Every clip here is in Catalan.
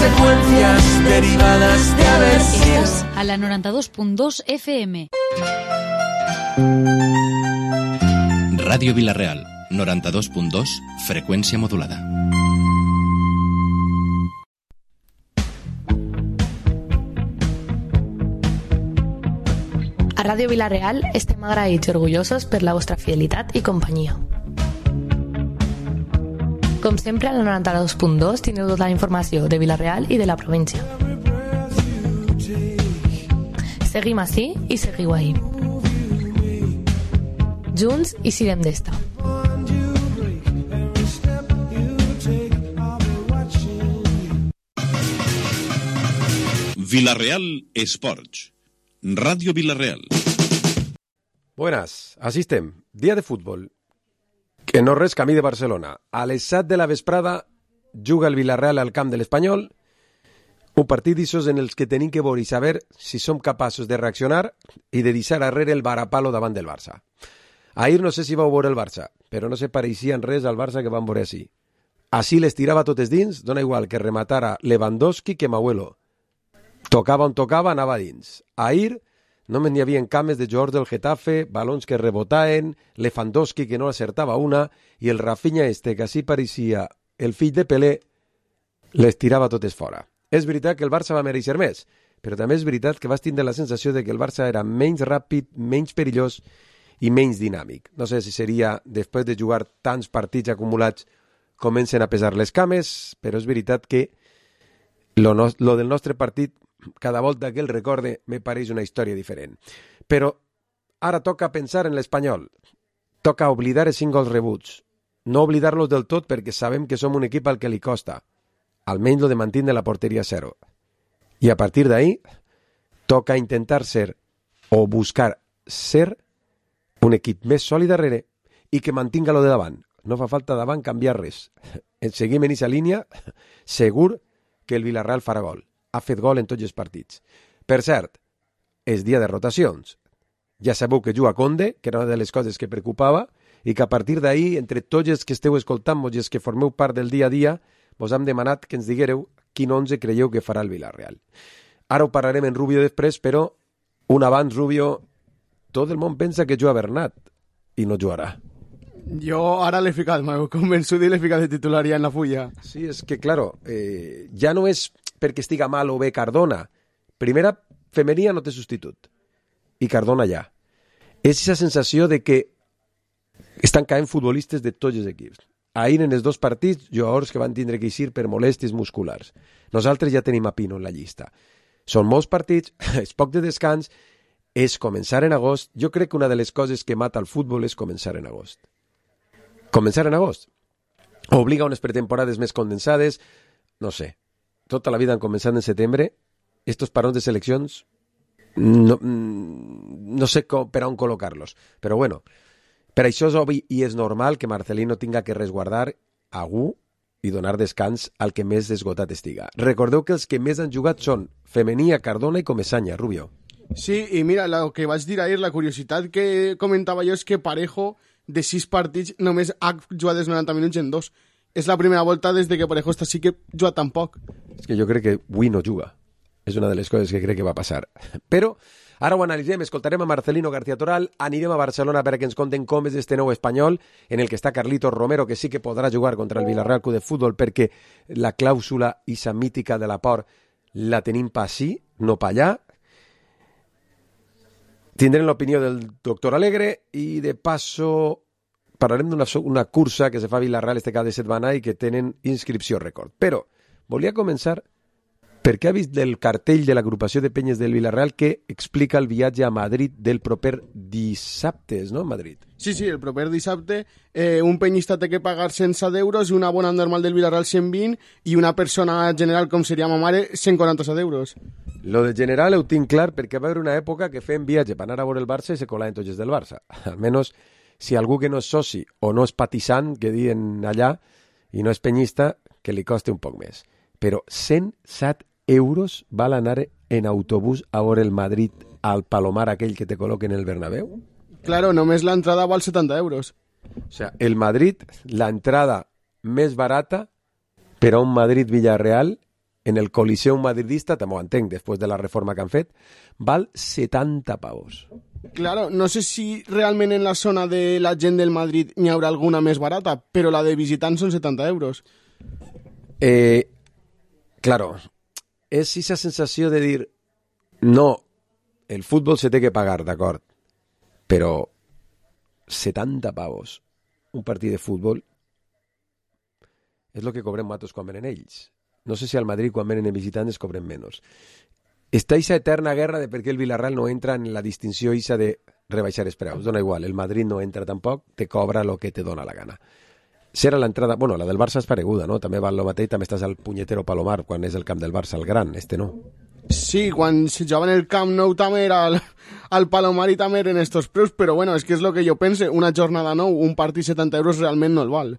consecuencias derivadas de haber sido. Estás a la 92.2 FM. Ràdio Vila-real, 92.2, freqüència modulada. A Ràdio Vila-real estem agraïts i orgullosos per la vostra fidelitat i companyia. Com sempre, a la 92.2 tindreu tota la informació de Vila-real i de la província. Seguim ací i seguiu ahí. Junts i siguem d'esta. Vila-real Esports. Radio Vila-real. Buenas, así estem. Dia de futbol. Que no res camí de Barcelona. A les 7 de la vesprada juga el Vila-real al camp de l'Espanyol. Un partit d'issos en els que tenim que veure i saber si som capaços de reaccionar i de deixar arrere el varapalo davant del Barça. Ahir no sé si vau veure el Barça, però no se pareixia en res al Barça que vam veure així. Així les tirava totes dins, dona igual que rematara Lewandowski que Mauelo. Tocava on tocava, anava dins. Ahir només n'hi havia cames de jugadors del Getafe, balons que rebotaven, Lewandowski que no acertava una, i el Rafinha que així pareixia el fill de Pelé, les tirava totes fora. És veritat que el Barça va mereixer més, però també és veritat que vas tindre la sensació de que el Barça era menys ràpid, menys perillós i menys dinàmic. No sé si seria, després de jugar tants partits acumulats, comencen a pesar les cames, però és veritat que lo del nostre partit, cada volta que el recorde, me pareix una història diferent. Però ara toca pensar en l'Espanyol. Toca oblidar els 5 gols rebuts. No oblidar-los del tot perquè sabem que som un equip al que li costa. Almenys lo de mantindre la porteria 0. I a partir d'ahí, toca intentar ser, o buscar ser, un equip més sòlid darrere i que mantinga lo de davant. No fa falta davant canviar res. Seguim en aquesta línia, segur que el Villarreal farà gol. Ha fet gol en tots els partits. Per cert, és dia de rotacions. Ja sabeu que juga Conde, que era una de les coses que preocupava, i que a partir d'ahir, entre tots els que esteu escoltant-vos i els que formeu part del dia a dia, vos hem demanat que ens diguereu quin 11 creieu que farà el Villarreal. Ara ho parlarem en Rubio després, però un abans, Rubio, tot el món pensa que juga Bernat i no jugarà. Jo ara l'he ficat, m'he convençut i l'he ficat de titular ja en la fulla. Sí, és que, claro, ja no és perquè estiga mal o bé Cardona. Primera, Femeria no té substitut. I Cardona ja. És aquesta sensació de que estan caent futbolistes de tots els equips. Ahir en els 2 partits, jugadors que van tindre que eixir per molèsties musculars. Nosaltres ja tenim a Pino en la llista. Són molts partits, és poc de descans, és començar en agost. Jo crec que una de les coses que mata el futbol és començar en agost. Començar en agost. Obliga unes pretemporades més condensades, no sé. Tota la vida han començat en setembre. Estos parons de seleccions no sé per on col·locar-los. Però bueno, per això és obvi i és normal que Marcelino tinga que resguardar algú i donar descans al que més esgotat estiga. Recordeu que els que més han jugat són Femenia, Cardona i Comesaña, Rubio. Sí, i mira, el que vaig dir ahir, la curiositat que comentava jo és que Parejo, de 6 partits, només ha jugat els 90 minuts en 2. És la primera volta des de que Parejo està sí que juga tan poc. És que jo crec que avui no juga. És una de les coses que crec que va passar. Però ara ho analitzem, escoltarem a Marcelino García Toral, anirem a Barcelona perquè ens conten com és este nou Espanyol, en el que està Carlitos Romero, que sí que podrà jugar contra el Villarreal Club de Futbol perquè la clàusula esa mítica de la por la tenim pa sí, no pa allà. Tindrem l'opinió del doctor Alegre i de passo parlarem d'una cursa que se fa a Villarreal este cap de setmana i que tenen inscripció rècord. Però volia començar perquè ha vist el cartell de l'agrupació de penyes del Villarreal que explica el viatge a Madrid del proper dissabte, no? Madrid. Sí, el proper dissabte un penyista té que pagar 107 euros, una bona normal del Villarreal 120 i una persona general com seria ma mare 147 euros. Lo de general ho tinc clar perquè va haver una època que fem viatge per anar a veure el Barça i se colaven tots els del Barça. Almenys si algú que no és soci o no és patissant, que diuen allà, i no és penyista, que li costi un poc més. Però 107 euros val anar en autobús a veure el Madrid al Palomar aquell que te col·loquen en el Bernabéu? Claro, només l'entrada val 70 euros. O sea, el Madrid, la entrada més barata per a un Madrid-Villarreal en el Coliseum madridista, també ho entenc, després de la reforma que han fet, val 70 pavos. Claro, no sé si realment en la zona de la gent del Madrid n'hi haurà alguna més barata, però la de visitants són 70 euros. Claro, és esa sensació de dir, no, el futbol se té que pagar, d'acord, però 70 pavos un partit de futbol és el que cobrem nosaltres quan venen ells. No sé si al Madrid quan venen visitants cobren menys. Està aquesta eterna guerra de per què el Villarreal no entra en la distinció isa de rebaixar els preus. Dona igual, el Madrid no entra tampoc, te cobra el que te dona la gana. Serà l'entrada... Bueno, la del Barça és pareguda, no? També val el mateix, també estàs al punyetero Palomar quan és el camp del Barça, el gran, no. Sí, quan se jugava en el Camp Nou també era al Palomar i també eren estos preus, però bueno, és que és el que jo pense, una jornada nou, un partit 70 euros realment no el val.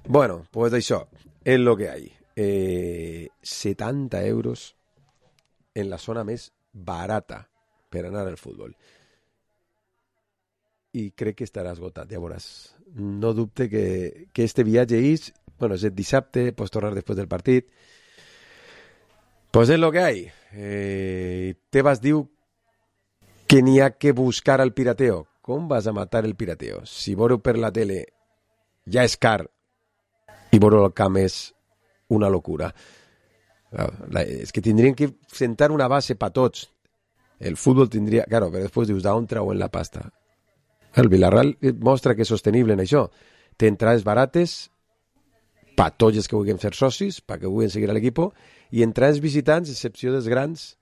Bueno, pues això, és lo que hay. 70 euros en la zona més barata per anar al futbol. I crec que estarà esgotat, ja veuràs. No dubte que este viatge és, bueno, és el dissabte, pots tornar després del partit. Pues és lo que hay. Tebas diu que n'hi ha que buscar al pirateo. Com vas a matar el pirateo? Si veureu per la tele ja és car i veure el camp és una locura. És que tindrien que sentar una base per tots. El futbol tindria... Claro, però després dius, d'on trauen la pasta? El Villarreal mostra que és sostenible en això. Té entrades barates per tots els que vulguin ser socis, perquè vulguin seguir a l'equip, i entrades visitants, excepció dels grans,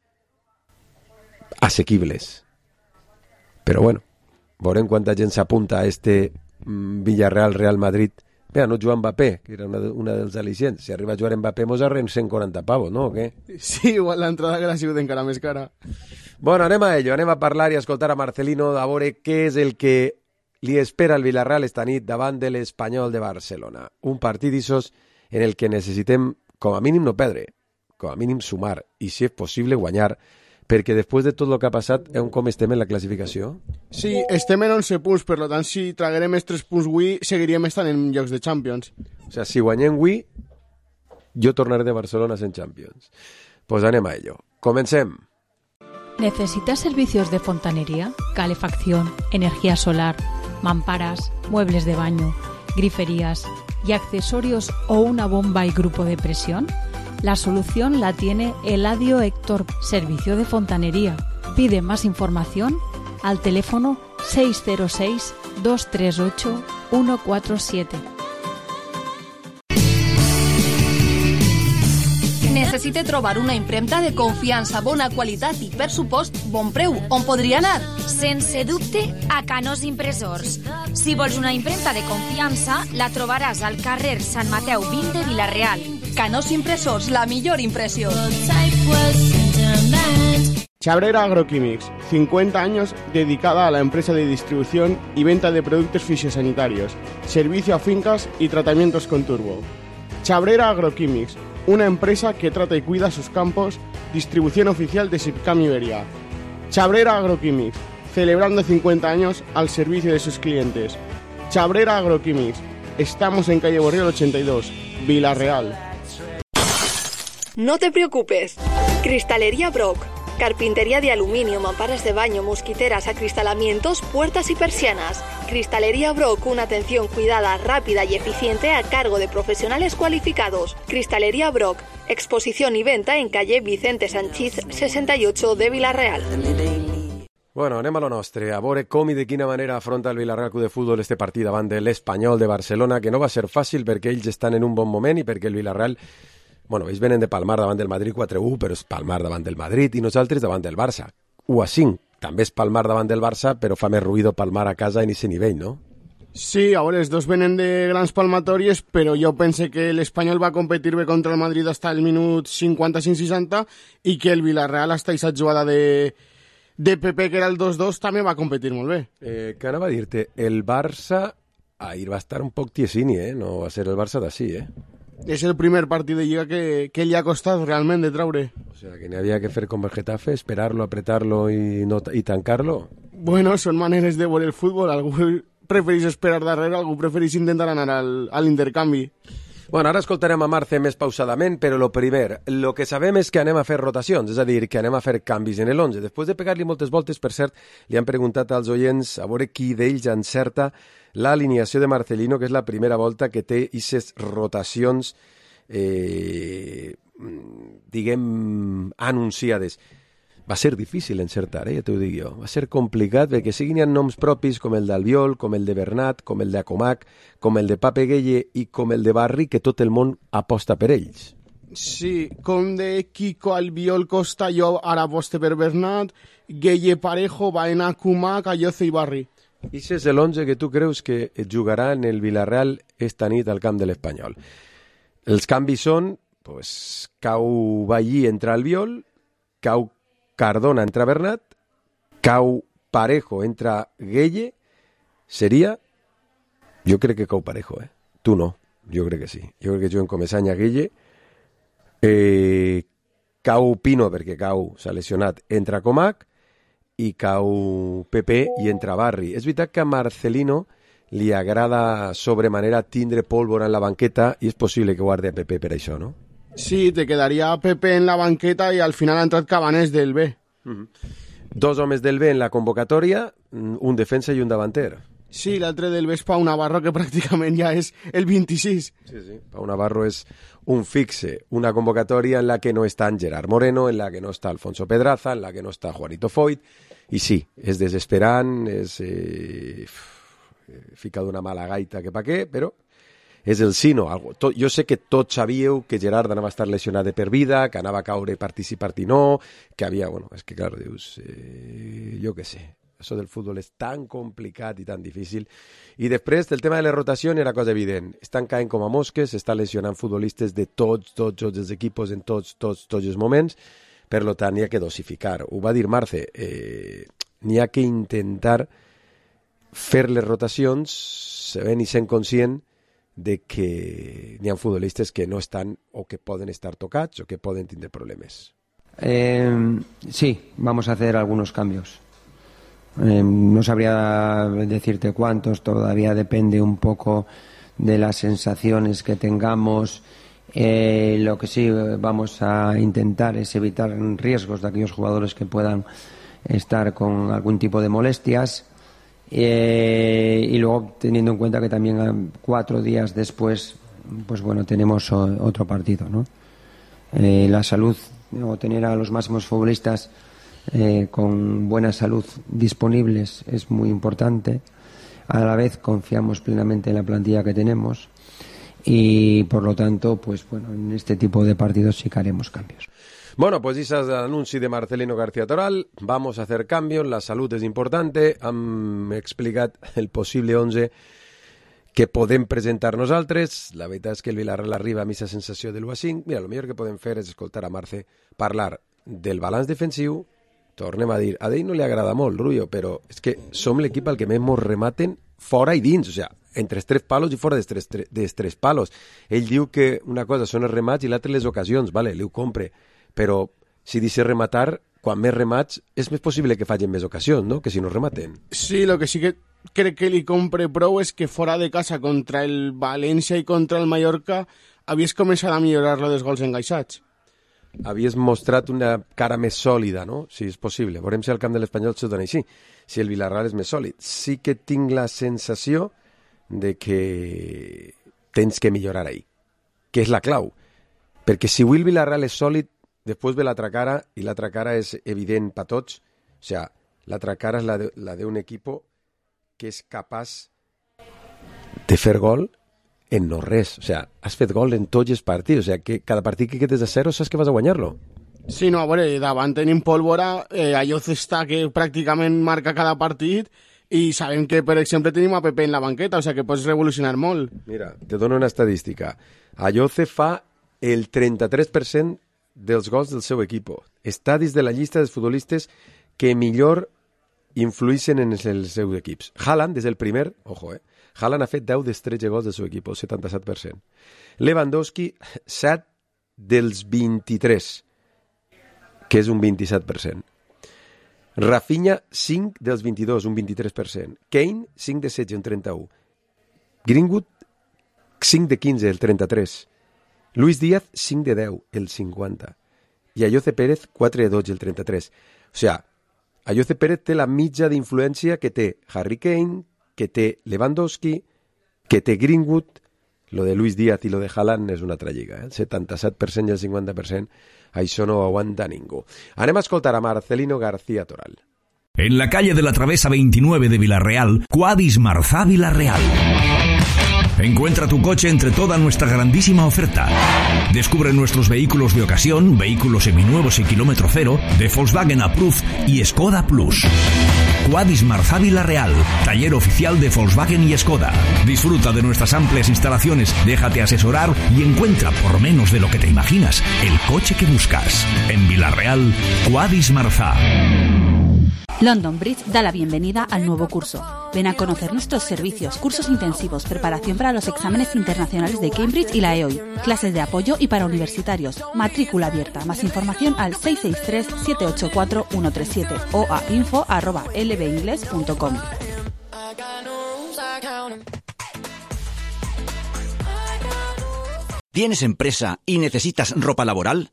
assequibles. Però bueno, veurem quanta gent s'apunta a este Villarreal-Real Madrid. Mira, no juga Mbappé, que era una dels al·licients. Si arriba a jugar Mbappé, mos arren 140 pavos, no? O què? Sí, igual l'entrada que l'ha sigut encara més cara. Bueno, anem a ello, anem a parlar i a escoltar a Marcelino a veure què és el que li espera al Villarreal esta nit davant de l'Espanyol de Barcelona. Un partit d'issos en el que necessitem, com a mínim, no perdre, com a mínim sumar, i si és possible guanyar, perquè després de tot el que ha passat, com estem en la classificació? Sí, estem en 11 punts, per tant, si traguerem els 3 punts avui, seguiríem estant en llocs de Champions. O sea, si guanyem avui, jo tornaré de Barcelona en Champions. Pues anem a ello. Comencem. ¿Necesitas servicios de fontanería, calefacción, energía solar, mamparas, muebles de baño, griferías y accesorios o una bomba y grupo de presión? La solución la tiene Eladio Héctor, servicio de fontanería. Pide más información al teléfono 606 238 147. Necessite trobar una impremta de confiança, bona qualitat i, per supost, bon preu. On podria anar? Sense dubte, a Canós Impressors. Si vols una impremta de confiança, la trobaràs al carrer Sant Mateu 20 de Vila-real. Canós Impressors, la millor impressió. Chabrera Agroquímics, 50 años dedicada a la empresa de distribución y venta de productos fisiosanitarios, servicio a fincas y tratamientos con turbo. Chabrera Agroquímics, una empresa que trata y cuida sus campos, distribución oficial de Sipcam Iberia. Chabrera Agroquímics, celebrando 50 años al servicio de sus clientes. Chabrera Agroquímics, estamos en calle Borriol 82, Vila-real. No te preocupes. Cristalería Brock. Carpintería de aluminio, mamparas de baño, mosquiteras, acristalamientos, puertas y persianas. Cristalería Brock, una atención cuidada, rápida y eficiente a cargo de profesionales cualificados. Cristalería Brock, exposición y venta en calle Vicente Sanchís 68 de Vila-real. Bueno, anem a lo nostre, a veure com i de quina manera afronta el Villarreal Club de Futbol este partit davant de l'Espanyol de Barcelona, que no va ser fàcil perquè ells estan en un bon moment i perquè el Villarreal, bueno, ells venen de palmar davant del Madrid 4-1, però és palmar davant del Madrid i nosaltres davant del Barça 1-5. També és palmar davant del Barça, però fa més ruïdo palmar a casa en aquest nivell, no? Sí, a veure, els dos venen de grans palmatòries, però jo pense que l'Espanyol va competir bé contra el Madrid fins al minut 55-60 i que el Villarreal hasta aquesta jugada de Pepe, que era el 2-2, també va competir molt bé. Què anava a dir-te? El Barça ahir va estar un poc tiesini, no va ser el Barça d'ací, És el primer partit de Lliga que li ha costat realment de traure. O sea, que n'hi havia que fer com el Getafe, esperar-lo, apretar-lo i tancar-lo. Bueno, són maneres de veure el futbol. Algú prefereix esperar darrere, algú prefereix intentar anar a l'intercanvi. Bueno, ara escoltarem a Marce més pausadament, però lo primer, lo que sabem és que anem a fer rotacions, és a dir, que anem a fer canvis en l'11. Després de pegar-li moltes voltes, per cert, li han preguntat als oients a veure qui d'ells encerta l'alineació de Marcelino, que és la primera volta que té aquestes rotacions, diguem, anunciades. Va ser difícil encertar, ja t'ho dic jo. Va ser complicat perquè siguin hi ha noms propis com el d'Albiol, com el de Bernat, com el d'Acomac, com el de Pape Gueye i com el de Barri, que tot el món aposta per ells. Sí, com de Kiko, Albiol, Costa, jo ara aposte per Bernat, Gueye, Parejo, Baena, Acomac, Ayoce i Barri. I és l'11 que tu creus que jugarà en el Villarreal esta nit al camp de l'Espanyol. Els canvis són, pues, cau Ballí entra Albiol, cau Cardona entra Bernat, cau Parejo entra Gueye, seria... Jo crec que cau Parejo, Tu no, jo crec que sí. Jo crec que juguen com Esanya Gueye, cau Pino, perquè cau, s'ha lesionat, entra Comac, i cau Pepe i entra Barri. És veritat que a Marcelino li agrada sobremanera tindre pólvora en la banqueta i és possible que guardi a Pepe per això, no? Sí, te quedaría Pepe en la banqueta y al final ha entrat Cabanés del B. Dos homes del B en la convocatòria, un defensa i un davanter. Sí, l'altre del B és Pau Navarro, que pràcticament ja és el 26. Sí. Pau Navarro és un fixe, una convocatòria en la que no està Gerard Moreno, en la que no està Alfonso Pedraza, en la que no està Juanito Foyt, i sí, és desesperant, és fica d'una mala gaita que pa què, però és el sino. Jo sé que tots sabíeu que Gerard anava a estar lesionat de per vida, que anava a caure participar i no, que havia... Bueno, és que, clar, dius... jo què sé. Això del futbol és tan complicat i tan difícil. I després, el tema de les rotacions era cosa evident. Estan caent com a mosques, estan lesionant futbolistes de tots els equipos en tots els moments. Per tant, n'hi ha que dosificar. Ho va dir Marce. N'hi ha que intentar fer les rotacions sabent i sent conscient de que n'hi ha futbolistes que no estan o que poden estar tocats o que poden tindre problemes. Sí, vamos a hacer algunos cambios. No sabría decirte cuántos, todavía depende un poco de las sensaciones que tengamos. Lo que sí vamos a intentar es evitar riesgos de aquellos jugadores que puedan estar con algún tipo de molestias. Y luego teniendo en cuenta que también 4 días después pues bueno, tenemos otro partido, ¿no? La salud o tener a los máximos futbolistas con buena salud disponibles es muy importante. A la vez confiamos plenamente en la plantilla que tenemos y por lo tanto pues bueno, en este tipo de partidos sí que haremos cambios. Bueno, pues ese es el anuncio de Marcelino García Toral. Vamos a hacer cambios, la salud és importante. Hem explicat el possible 11 que podem presentar nosaltres. La veritat és que el Villarreal arriba a aquesta sensació de l'1-5. Mira, el millor que podem fer és escoltar a Marce parlar del balanç defensiu. Tornem a dir, a ell no li agrada molt, Rubio, però és que som l'equip al que més mos rematen fora i dins, o sigui, entre els 3 palos i fora dels 3 palos. Ell diu que una cosa són els remats i l'altra les ocasions, vale, li ho compre. Però si deixes rematar, quan més remats és més possible que facin més ocasions, no? Que si no rematen. Sí, lo que sí que crec que li compre prou és que fora de casa contra el València i contra el Mallorca havies començat a millorar lo dels gols engaixats. Havies mostrat una cara més sòlida, no? Si és possible. Veurem si al camp de l'Espanyol s'ho dona així, si el Villarreal és més sòlid. Sí que tinc la sensació de que tens que millorar ahí, que és la clau. Perquè si avui el Villarreal és sòlid, després ve l'altra cara, i l'altra cara és evident per tots. O sigui, l'altra cara és la d'un equip que és capaç de fer gol en no res. O sigui, has fet gol en tots els partits. O sigui, que cada partit que quedes a 0 saps que vas a guanyar-lo. Sí, no, a veure, davant tenim pólvora, Ayoce està que pràcticament marca cada partit i sabem que, per exemple, tenim a Pepe en la banqueta, o sigui que pots revolucionar molt. Mira, te dono una estadística. Ayoce fa el 33% dels gols del seu equip. Està dins de la llista dels futbolistes que millor influïssin en els seus equips. Haaland, des del primer, ojo, Haaland ha fet 10 dels 13 gols del seu equip, el 77%. Lewandowski, 7 dels 23, que és un 27%. Rafinha, 5 dels 22, un 23%. Kane, 5 de 16, un 31%. Greenwood, 5 de 15, el 33. Luis Díaz, 5 de 10, el 50. I Ayoce Pérez, 4 de 12, el 33. O sigui, Ayoce Pérez té la mitja d'influència que té Harry Kane, que té Lewandowski, que té Greenwood. Lo de Luis Díaz i lo de Haaland és una altra lliga. El 77% i el 50%, això no ho aguanta ningú. Anem a escoltar a Marcelino García Toral. En la calle de la Travesa 29 de Villarreal, Quadis Marzá Villarreal. Encuentra tu coche entre toda nuestra grandísima oferta. Descubre nuestros vehículos de ocasión, vehículos seminuevos y kilómetro cero, de Volkswagen Approved y Skoda Plus. Quadis Marzá Villarreal, taller oficial de Volkswagen y Skoda. Disfruta de nuestras amplias instalaciones, déjate asesorar y encuentra por menos de lo que te imaginas el coche que buscas. En Villarreal, Quadis Marzá. London Bridge da la bienvenida al nuevo curso. Ven a conocer nuestros servicios, cursos intensivos, preparación para los exámenes internacionales de Cambridge y la EOI, clases de apoyo y para universitarios, matrícula abierta. Más información al 663-784-137 o a info@lbingles.com. ¿Tienes empresa y necesitas ropa laboral?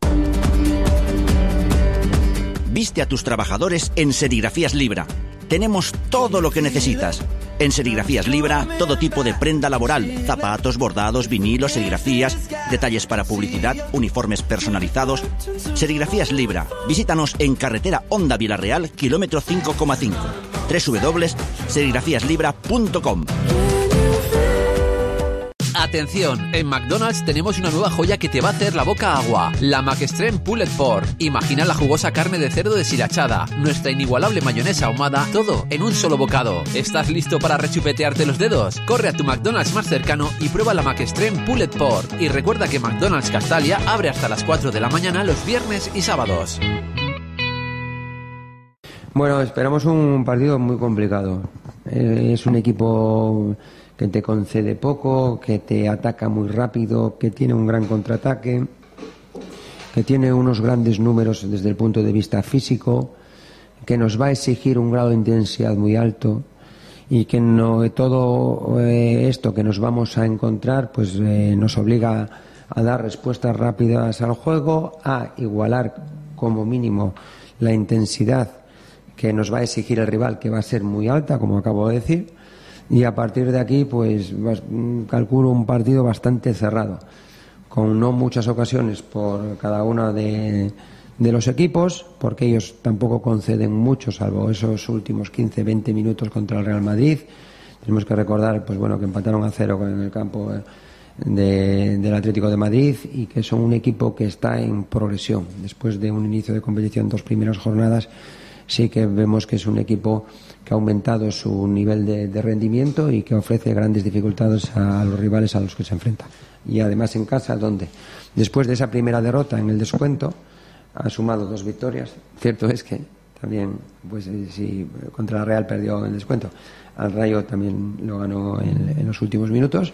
Viste a tus trabajadores en Serigrafías Libra. Tenemos todo lo que necesitas. En Serigrafías Libra, todo tipo de prenda laboral, zapatos, bordados, vinilos, serigrafías, detalles para publicidad, uniformes personalizados. Serigrafías Libra. Visítanos en carretera Honda Villarreal, kilómetro 5,5. www.serigrafíaslibra.com. Atención, en McDonald's tenemos una nueva joya que te va a hacer la boca agua, la McExtreme Pulled Pork. Imagina la jugosa carne de cerdo deshilachada, nuestra inigualable mayonesa ahumada, todo en un solo bocado. ¿Estás listo para rechupetearte los dedos? Corre a tu McDonald's más cercano y prueba la McExtreme Pulled Pork. Y recuerda que McDonald's Castalia abre hasta las 4 de la mañana los viernes y sábados. Bueno, esperamos un partido muy complicado. Es un equipo que te concede poco, que te ataca muy rápido, que tiene un gran contraataque, que tiene unos grandes números desde el punto de vista físico, que nos va a exigir un grado de intensidad muy alto y que todo esto que nos vamos a encontrar pues nos obliga a dar respuestas rápidas al juego, a igualar como mínimo la intensidad que nos va a exigir el rival, que va a ser muy alta, como acabo de decir. Y a partir de aquí, pues calculo un partido bastante cerrado, con no muchas ocasiones por cada uno de los equipos, porque ellos tampoco conceden mucho, salvo esos últimos 15-20 minutos contra el Real Madrid. Tenemos que recordar, pues bueno, que empataron a 0 en el campo del Atlético de Madrid y que son un equipo que está en progresión. Después de un inicio de competición, 2 primeras jornadas, sí que vemos que es un equipo que ha aumentado su nivel de rendimiento y que ofrece grandes dificultades a los rivales a los que se enfrenta. Y además en casa, donde después de esa primera derrota en el descuento ha sumado 2 victorias. Cierto es que también, pues si contra la Real perdió en el descuento, al Rayo también lo ganó en los últimos minutos,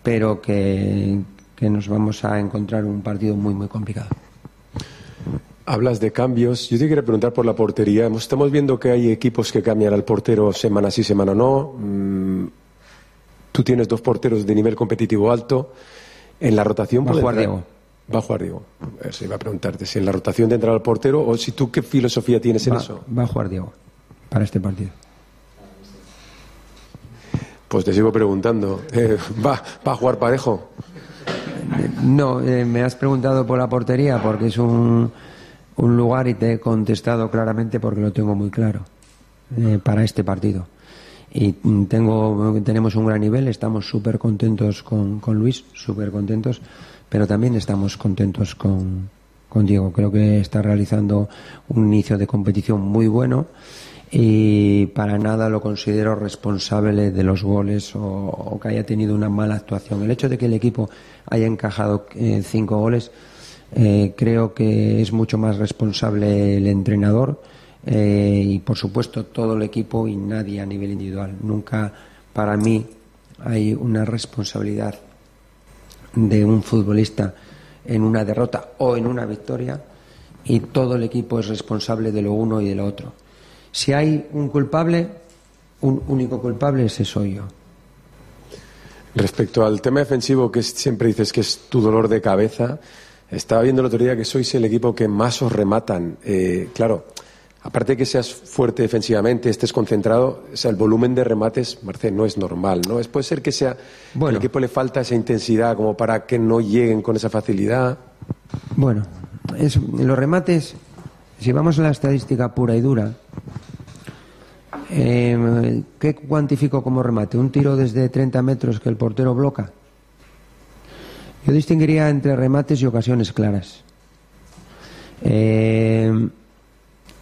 pero que nos vamos a encontrar un partido muy muy complicado. Hablas de cambios. Yo te quería preguntar por la portería. Estamos viendo que hay equipos que cambian al portero semana sí, semana no. Tú tienes 2 porteros de nivel competitivo alto. En la rotación... Va a jugar Diego. Va a jugar Diego. Eso iba a preguntarte. Si en la rotación te entra el portero o si tú qué filosofía tienes en eso. Va a jugar Diego para este partido. Pues te sigo preguntando. ¿Va a jugar Parejo? No, me has preguntado por la portería porque es un lugar y te he contestado claramente porque lo tengo muy claro para este partido. Y tenemos un gran nivel, estamos súper contentos con Luis, súper contentos, pero también estamos contentos con Diego. Creo que está realizando un inicio de competición muy bueno y para nada lo considero responsable de los goles o que haya tenido una mala actuación. El hecho de que el equipo haya encajado 5 goles creo que es mucho más responsable el entrenador y por supuesto todo el equipo y nadie a nivel individual. Nunca para mí hay una responsabilidad de un futbolista en una derrota o en una victoria y todo el equipo es responsable de lo uno y de lo otro. Si hay un culpable, un único culpable, ese soy yo. Respecto al tema defensivo, que siempre dices que es tu dolor de cabeza, estaba viendo el otro día que sois el equipo que más os rematan. Claro, aparte de que seas fuerte defensivamente, estés concentrado, o sea, el volumen de remates, Marcel, no es normal, ¿no? Puede ser que sea que al equipo le falta esa intensidad como para que no lleguen con esa facilidad. Bueno, los remates, si vamos a la estadística pura y dura, ¿qué cuantifico como remate? ¿Un tiro desde 30 metros que el portero bloca? Yo distinguiría entre remates y ocasiones claras.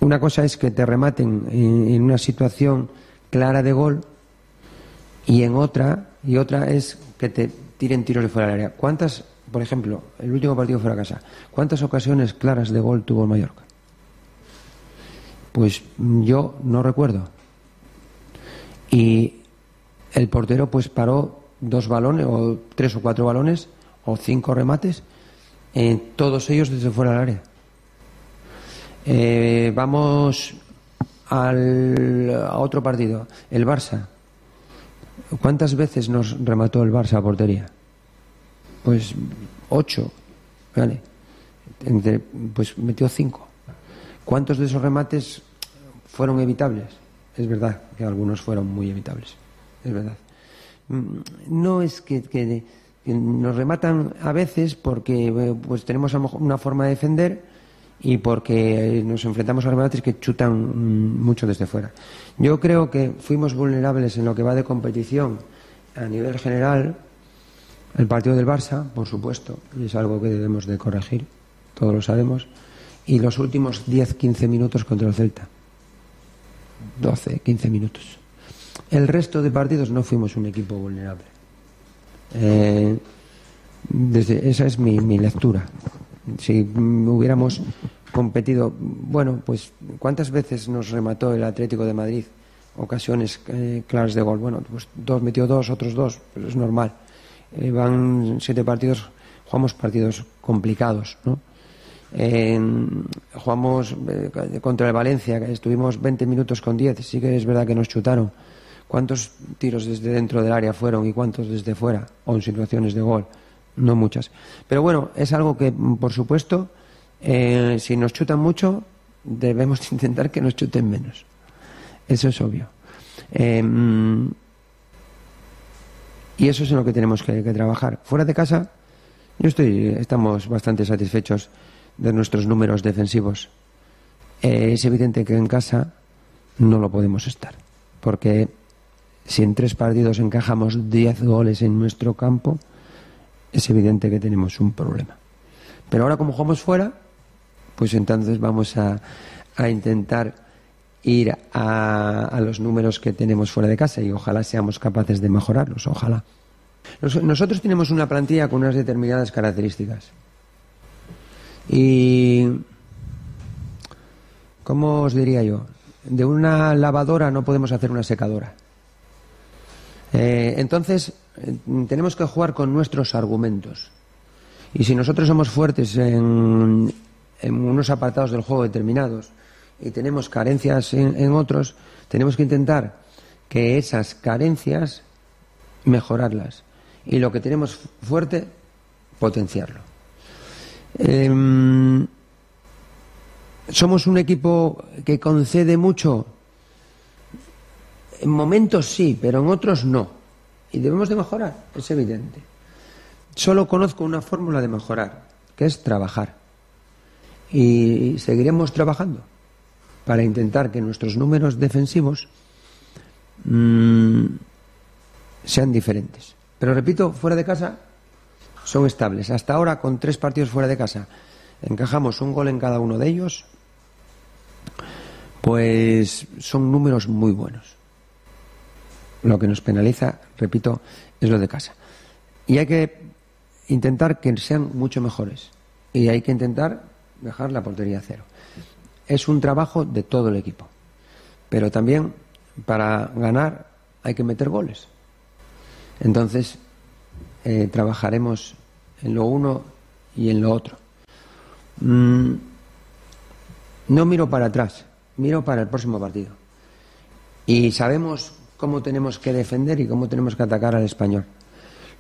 Una cosa es que te rematen en una situación clara de gol y otra es que te tiren tiros de fuera del área. ¿Cuántas, por ejemplo, el último partido fuera de casa, cuántas ocasiones claras de gol tuvo el Mallorca? Pues yo no recuerdo. Y el portero pues paró 2 balones o 3 o 4 balones o 5 remates, todos ellos desde fuera del área. Vamos a otro partido, el Barça. ¿Cuántas veces nos remató el Barça a portería? Pues 8, ¿vale? Pues metió 5. ¿Cuántos de esos remates fueron evitables? Es verdad que algunos fueron muy evitables, es verdad. No es que nos rematan a veces porque pues tenemos a lo mejor una forma de defender y porque nos enfrentamos a remates que chutan mucho desde fuera. Yo creo que fuimos vulnerables en lo que va de competición a nivel general. El partido del Barça, por supuesto, y es algo que debemos de corregir, todos lo sabemos, y los últimos 10-15 minutos contra el Celta. 12-15 minutos. El resto de partidos no fuimos un equipo vulnerable. Esa es mi lectura. Si hubiéramos competido, bueno, pues ¿cuántas veces nos remató el Atlético de Madrid? Ocasiones claras de gol. Bueno, pues metió 2, otros 2, pero es normal. Van 7 partidos, jugamos partidos complicados, ¿no? Jugamos contra el Valencia, estuvimos 20 minutos con 10, sí que es verdad que nos chutaron. ¿Cuántos tiros desde dentro del área fueron y cuántos desde fuera? O en situaciones de gol, no muchas. Pero bueno, es algo que, por supuesto, si nos chutan mucho, debemos intentar que nos chuten menos. Eso es obvio. Y eso es en lo que tenemos que trabajar. Fuera de casa, estamos bastante satisfechos de nuestros números defensivos. Es evidente que en casa no lo podemos estar, porque si en 3 partidos encajamos 10 goles en nuestro campo, es evidente que tenemos un problema. Pero ahora, como jugamos fuera, pues entonces vamos a intentar ir a los números que tenemos fuera de casa y ojalá seamos capaces de mejorarlos, ojalá. Nosotros tenemos una plantilla con unas determinadas características. Y, ¿cómo os diría yo? De una lavadora no podemos hacer una secadora. Entonces, tenemos que jugar con nuestros argumentos. Y si nosotros somos fuertes en unos apartados del juego determinados y tenemos carencias en otros, tenemos que intentar que esas carencias mejorarlas. Y lo que tenemos fuerte, potenciarlo. Somos un equipo que concede mucho. En momentos sí, pero en otros no. Y debemos de mejorar, es evidente. Solo conozco una fórmula de mejorar, que es trabajar. Y seguiremos trabajando para intentar que nuestros números defensivos sean diferentes. Pero repito, fuera de casa son estables. Hasta ahora, con 3 partidos fuera de casa, encajamos un gol en cada uno de ellos, pues son números muy buenos. Lo que nos penaliza, repito, es lo de casa. Y hay que intentar que sean mucho mejores. Y hay que intentar dejar la portería a 0. Es un trabajo de todo el equipo. Pero también, para ganar, hay que meter goles. Entonces, trabajaremos en lo uno y en lo otro. No miro para atrás, miro para el próximo partido. Y sabemos cómo tenemos que defender y cómo tenemos que atacar al Español.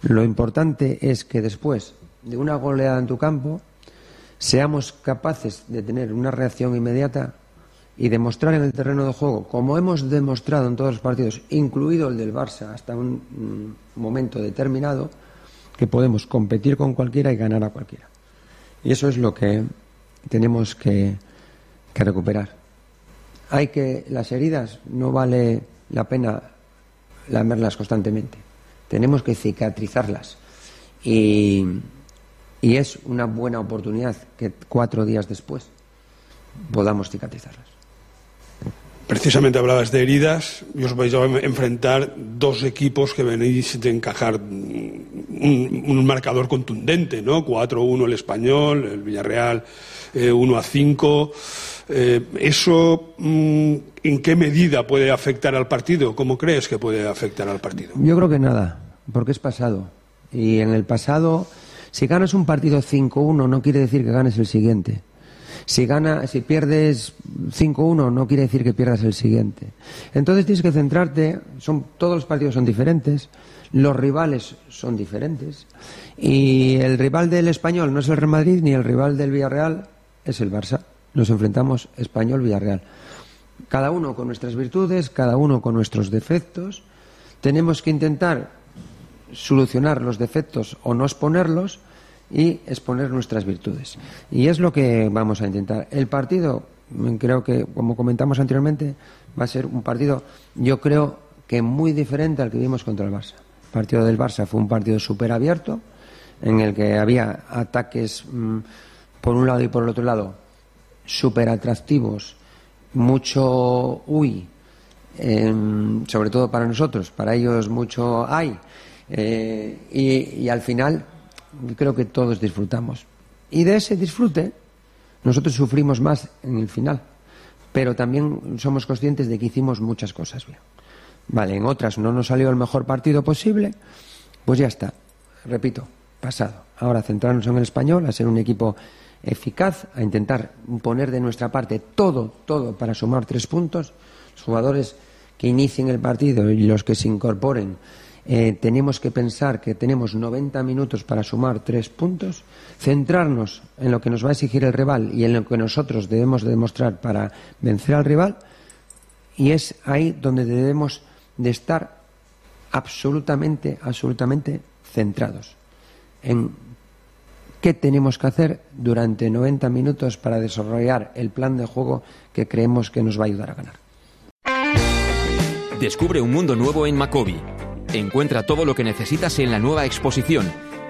Lo importante es que después de una goleada en tu campo seamos capaces de tener una reacción inmediata y demostrar en el terreno de juego, como hemos demostrado en todos los partidos, incluido el del Barça hasta un momento determinado, que podemos competir con cualquiera y ganar a cualquiera. Y eso es lo que tenemos que recuperar. Las heridas no vale la pena lamerlas constantemente. Tenemos que cicatrizarlas. Y es una buena oportunidad que 4 días después podamos cicatrizarlas. Precisamente hablabas de heridas y os vais a enfrentar 2 equipos que venís de encajar un marcador contundente, ¿no? 4-1 el Español, el Villarreal 1-5. ¿Eso en qué medida puede afectar al partido? ¿Cómo crees que puede afectar al partido? Yo creo que nada, porque es pasado. Y en el pasado, si ganas un partido 5-1 no quiere decir que ganes el siguiente. Si pierdes 5-1 no quiere decir que pierdas el siguiente. Entonces tienes que centrarte, todos los partidos son diferentes, los rivales son diferentes, y el rival del Español no es el Real Madrid ni el rival del Villarreal es el Barça. Nos enfrentamos Español-Villarreal. Cada uno con nuestras virtudes, cada uno con nuestros defectos. Tenemos que intentar solucionar los defectos o no exponerlos y exponer nuestras virtudes. Y es lo que vamos a intentar. El partido, creo que, como comentamos anteriormente, va a ser un partido, yo creo que muy diferente al que vimos contra el Barça. El partido del Barça fue un partido súper abierto, en el que había ataques por un lado y por el otro lado súper atractivos, mucho sobre todo para nosotros, para ellos mucho y al final creo que todos disfrutamos. Y de ese disfrute nosotros sufrimos más en el final, pero también somos conscientes de que hicimos muchas cosas bien. Vale, en otras no nos salió el mejor partido posible, pues ya está, repito, pasado. Ahora centrarnos en el Español, a ser un equipo eficaz, a intentar poner de nuestra parte todo para sumar 3 puntos. Los jugadores que inicien el partido y los que se incorporen, tenemos que pensar que tenemos 90 minutos para sumar 3 puntos, centrarnos en lo que nos va a exigir el rival y en lo que nosotros debemos de demostrar para vencer al rival, y es ahí donde debemos de estar absolutamente centrados en qué tenemos que hacer durante 90 minutos para desarrollar el plan de juego que creemos que nos va a ayudar a ganar. Descubre un mundo nuevo en Macobi. Encuentra todo lo que necesitas en la nueva exposición,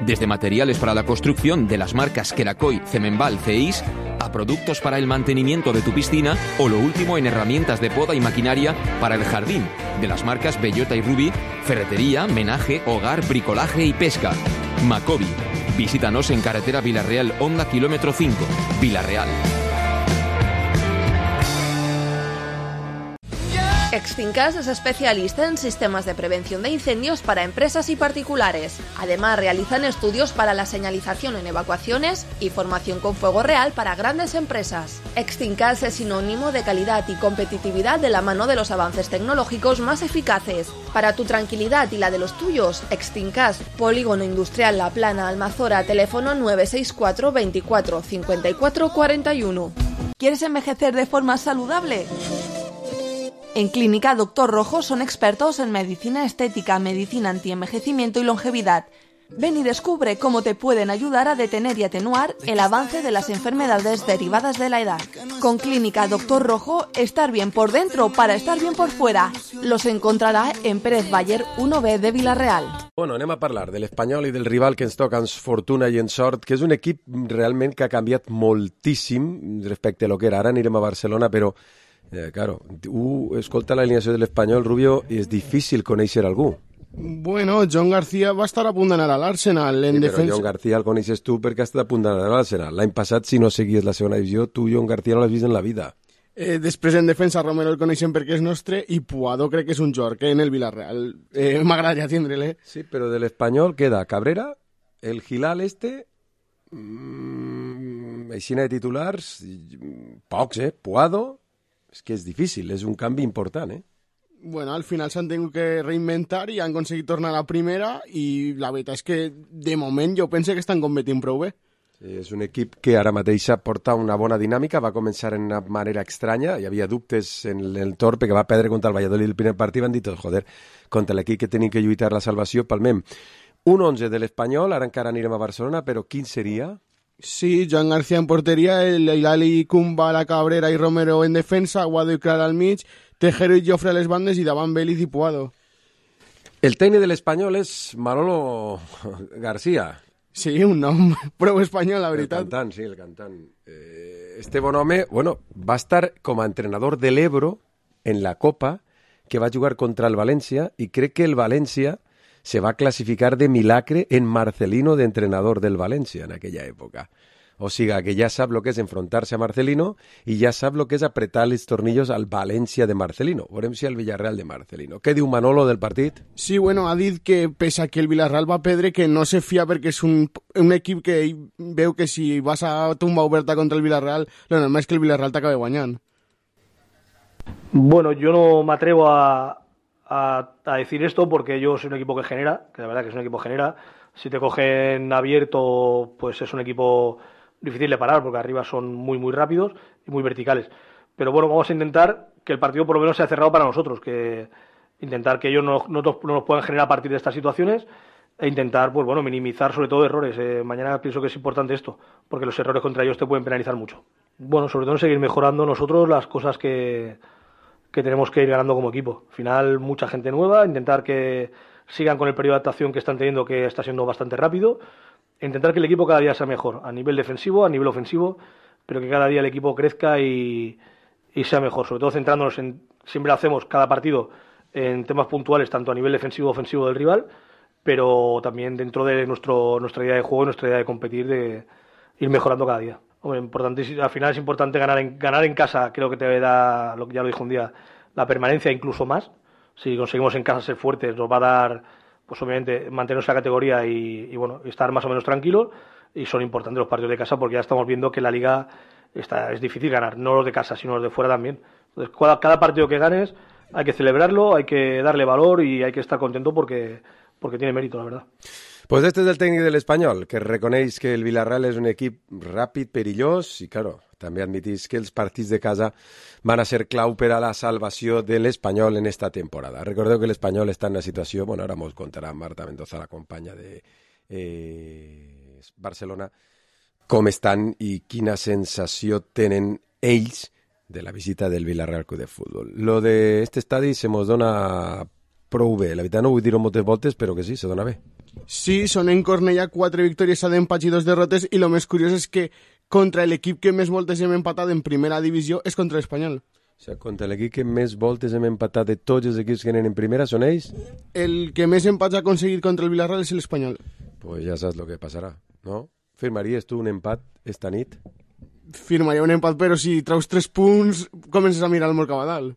desde materiales para la construcción de las marcas Kerakoy, Cemenbal, Ceis, a productos para el mantenimiento de tu piscina o lo último en herramientas de poda y maquinaria para el jardín, de las marcas Bellota y Ruby, ferretería, menaje, hogar, bricolaje y pesca. Macobi. Visítanos en carretera Villarreal, Honda, kilómetro 5, Villarreal. Extinkas es especialista en sistemas de prevención de incendios para empresas y particulares. Además, realizan estudios para la señalización en evacuaciones y formación con fuego real para grandes empresas. Extinkas es sinónimo de calidad y competitividad de la mano de los avances tecnológicos más eficaces. Para tu tranquilidad y la de los tuyos, Extinkas, Polígono Industrial La Plana, Almazora, teléfono 964 24 54 41. ¿Quieres envejecer de forma saludable? En Clínica Doctor Rojo son expertos en medicina estética, medicina antienvejecimiento y longevidad. Ven y descubre cómo te pueden ayudar a detener y atenuar el avance de las enfermedades derivadas de la edad. Con Clínica Doctor Rojo, estar bien por dentro para estar bien por fuera. Los encontrarà en Pérez Baller 1B de Vila-real. Bueno, anem a parlar de l'Espanyol i del rival que ens toca en fortuna i en sort, que és un equip realment que ha canviat moltíssim respecte a lo que era. Ara anirem a Barcelona, però claro, escolta l'alineació de l'Espanyol, Rubio, i és difícil conèixer algú. Bueno, John García va estar a punt d'anar a l'Arsenal en defensa. Però John García el coneixes tu perquè ha estat a punt d'anar a l'Arsenal. L'any passat, si no seguies la segona divisió, tu John García no l'has vist en la vida. Després en defensa Romero el coneixem perquè és nostre i Puado crec que és un jugador que en el Villarreal m'agradaria tindre-le. Sí, però de l'Espanyol queda Cabrera, el Gilal aixina de titulars, pocs, Puado. És que és difícil, és un canvi important, Bueno, al final s'han tingut que reinventar i han aconseguit tornar a la primera i la veritat és que de moment jo penso que estan competint prou bé. Sí, és un equip que ara mateix porta una bona dinàmica, va començar en una manera estranya, hi havia dubtes en el Torpe que va perdre contra el Valladolid el primer partit, van dir tots, joder, contra l'equip que tenim que lluitar la salvació, palmem. Un 11 de l'Espanyol, ara encara anirem a Barcelona, però quin seria? Sí, Joan García en porteria, el Ilali, Cumba, la Cabrera i Romero en defensa, Guado i Clara al mig, Tejero i Jofre a les bandes i davant Vélez i Puado. El tècnic de l'Espanyol és Manolo García. Sí, un nom prou espanyol, la veritat. El cantant, sí, el cantant. Este bon home, bueno, va estar com a entrenador de l'Ebro en la Copa, que va jugar contra el València, i crec que el València se va classificar de milagre en Marcelino de entrenador del València en aquella època. O sigui, que ja sap el que és enfrontar-se a Marcelino i ja sap el que és apretar els tornillos al València de Marcelino. Veurem si al Villarreal de Marcelino. Què diu Manolo del partit? Sí, bueno, ha dit que pese a que el Villarreal va perdre, que no se fia perquè és un equip que veu que si vas a tumba oberta contra el Villarreal, lo normal és que el Villarreal t'acabe guanyant. Bueno, yo no me atrevo a decir esto porque yo soy un equipo que genera, que la verdad que es un equipo que genera. Si te cogen abierto, pues es un equipo difícil de parar porque arriba son muy rápidos y muy verticales. Pero bueno, vamos a intentar que el partido por lo menos sea cerrado para nosotros, que intentar que ellos no nos puedan generar a partir de estas situaciones e intentar, pues bueno, minimizar sobre todo errores. Mañana pienso que es importante esto, porque los errores contra ellos te pueden penalizar mucho. Bueno, sobre todo en seguir mejorando nosotros las cosas que tenemos que ir ganando como equipo. Al final, mucha gente nueva, intentar que sigan con el periodo de adaptación que están teniendo, que está siendo bastante rápido, e intentar que el equipo cada día sea mejor, a nivel defensivo, a nivel ofensivo, pero que cada día el equipo crezca y sea mejor, sobre todo centrándonos en, siempre hacemos cada partido en temas puntuales, tanto a nivel defensivo ofensivo del rival, pero también dentro de nuestra idea de juego y nuestra idea de competir, de ir mejorando cada día. Hombre, al final es importante ganar en casa, creo que te da, ya lo dijo un día, la permanencia incluso más. Si conseguimos en casa ser fuertes, nos va a dar, pues obviamente, mantener esa categoría y bueno, estar más o menos tranquilos. Y son importantes los partidos de casa porque ya estamos viendo que la liga es difícil ganar, no los de casa, sino los de fuera también. Entonces, cada partido que ganes hay que celebrarlo, hay que darle valor y hay que estar contento porque tiene mérito, la verdad. Pues este és el tècnic de l'Espanyol, que reconeix que el Villarreal és un equip ràpid, perillós, i, claro, també admitís que els partits de casa van a ser clau per a la salvació de l'Espanyol en esta temporada. Recordeu que l'Espanyol està en una situació, bueno, ara mos contarà Marta Mendoza, la companya de Barcelona, com estan i quina sensació tenen ells de la visita del Villarreal Club de Futbol. Lo de este estadi se mos dona prou bé. La veritat no vull dir-ho moltes voltes, però que sí, se dona bé. Sí, són en Cornellà 4 victòries a d'empats i 2 derrotes i el més curiós és que contra l'equip que més voltes hem empatat en primera divisió és contra l'Espanyol. O sigui, contra l'equip que més voltes hem empatat de tots els equips que anen en primera són ells? El que més empats ha aconseguit contra el Villarreal és l'Espanyol. Pues ja saps el que passarà, no? Firmaries tu un empat esta nit? Firmaria un empat, però si traus 3 punts comences a mirar el Mercabadal.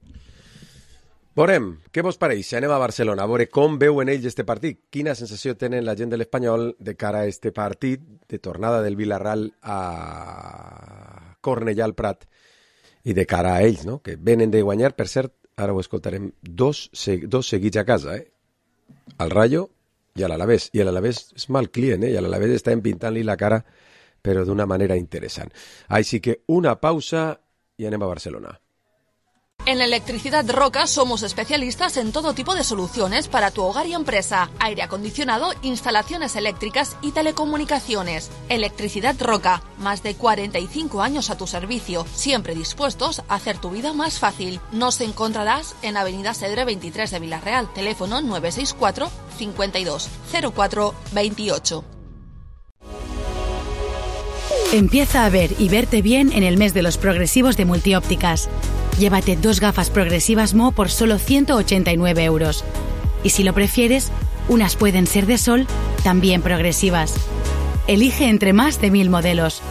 Veurem, què vos pareix? Anem a Barcelona, a veure com veuen ells este partit. Quina sensació tenen la gent de l'Espanyol de cara a este partit de tornada del Villarreal a Cornellà al Prat i de cara a ells, no? Que venen de guanyar, per cert, ara ho escoltarem, dos seguits a casa, al Rayo i a l'Alavés. I l'Alavés és mal client, i a l'Alavés està empintant-li la cara, però d'una manera interessant. Així que una pausa i anem a Barcelona. En Electricidad Roca somos especialistas en todo tipo de soluciones para tu hogar y empresa, aire acondicionado, instalaciones eléctricas y telecomunicaciones. Electricidad Roca, más de 45 años a tu servicio, siempre dispuestos a hacer tu vida más fácil. Nos encontrarás en Avenida Cedre 23 de Villarreal, teléfono 964 52 04 28. Empieza a ver y verte bien en el mes de los progresivos de Multiópticas. Llévate 2 gafas progresivas Mo por solo 189 euros. Y si lo prefieres, unas pueden ser de sol, también progresivas. Elige entre más de 1000 modelos.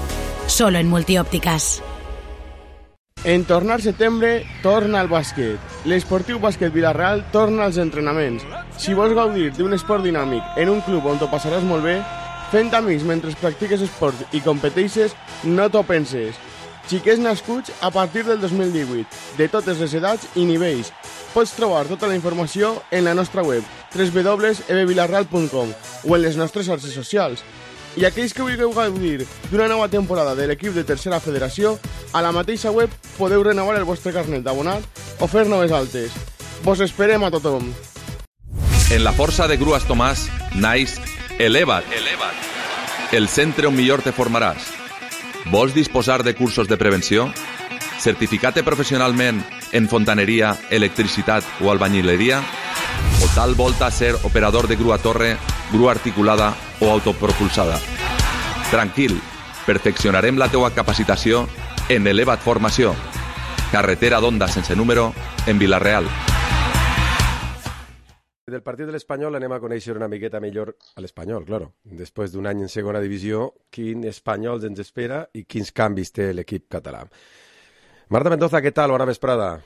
Solo en Multiópticas. En tornar setembre, torna al bàsquet. L'Esportiu Bàsquet Villarreal torna als entrenaments. Si vols gaudir d'un esport dinàmic en un club on t'ho passaràs molt bé, fent amics mentre practiques esport i competeixes, no t'ho penses. Xiquets nascuts a partir del 2018, de totes les edats i nivells. Pots trobar tota la informació en la nostra web www.ebvilarreal.com o en les nostres xarxes socials. I aquells que vulgueu gaudir d'una nova temporada de l'equip de Tercera Federació, a la mateixa web podeu renovar el vostre carnet d'abonat o fer noves altes. Vos esperem a tothom. En la força de Grues Tomàs naix Eleva't, el centre on millor te formaràs. Vols disposar de cursos de prevenció? Certificar-te professionalment en fontaneria, electricitat o albañileria? O tal volta ser operador de grua torre, grua articulada o autopropulsada? Tranquil, perfeccionarem la teua capacitació en Eleva't Formació. Carretera d'Onda sense número, en Vila-real. Del partit de l'Espanyol anem a conèixer una miqueta millor a l'Espanyol, claro. Després d'un any en segona divisió, quin Espanyol ens espera i quins canvis té l'equip català. Marta Mendoza, què tal? Bona vesprada.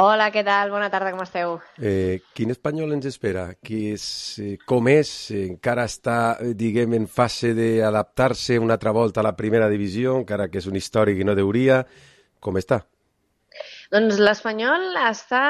Hola, què tal? Bona tarda, com esteu? Quin Espanyol ens espera? Com és? Encara està, diguem, en fase d'adaptar-se una altra volta a la primera divisió, encara que és un històric i no deuria. Com està? Doncs l'Espanyol està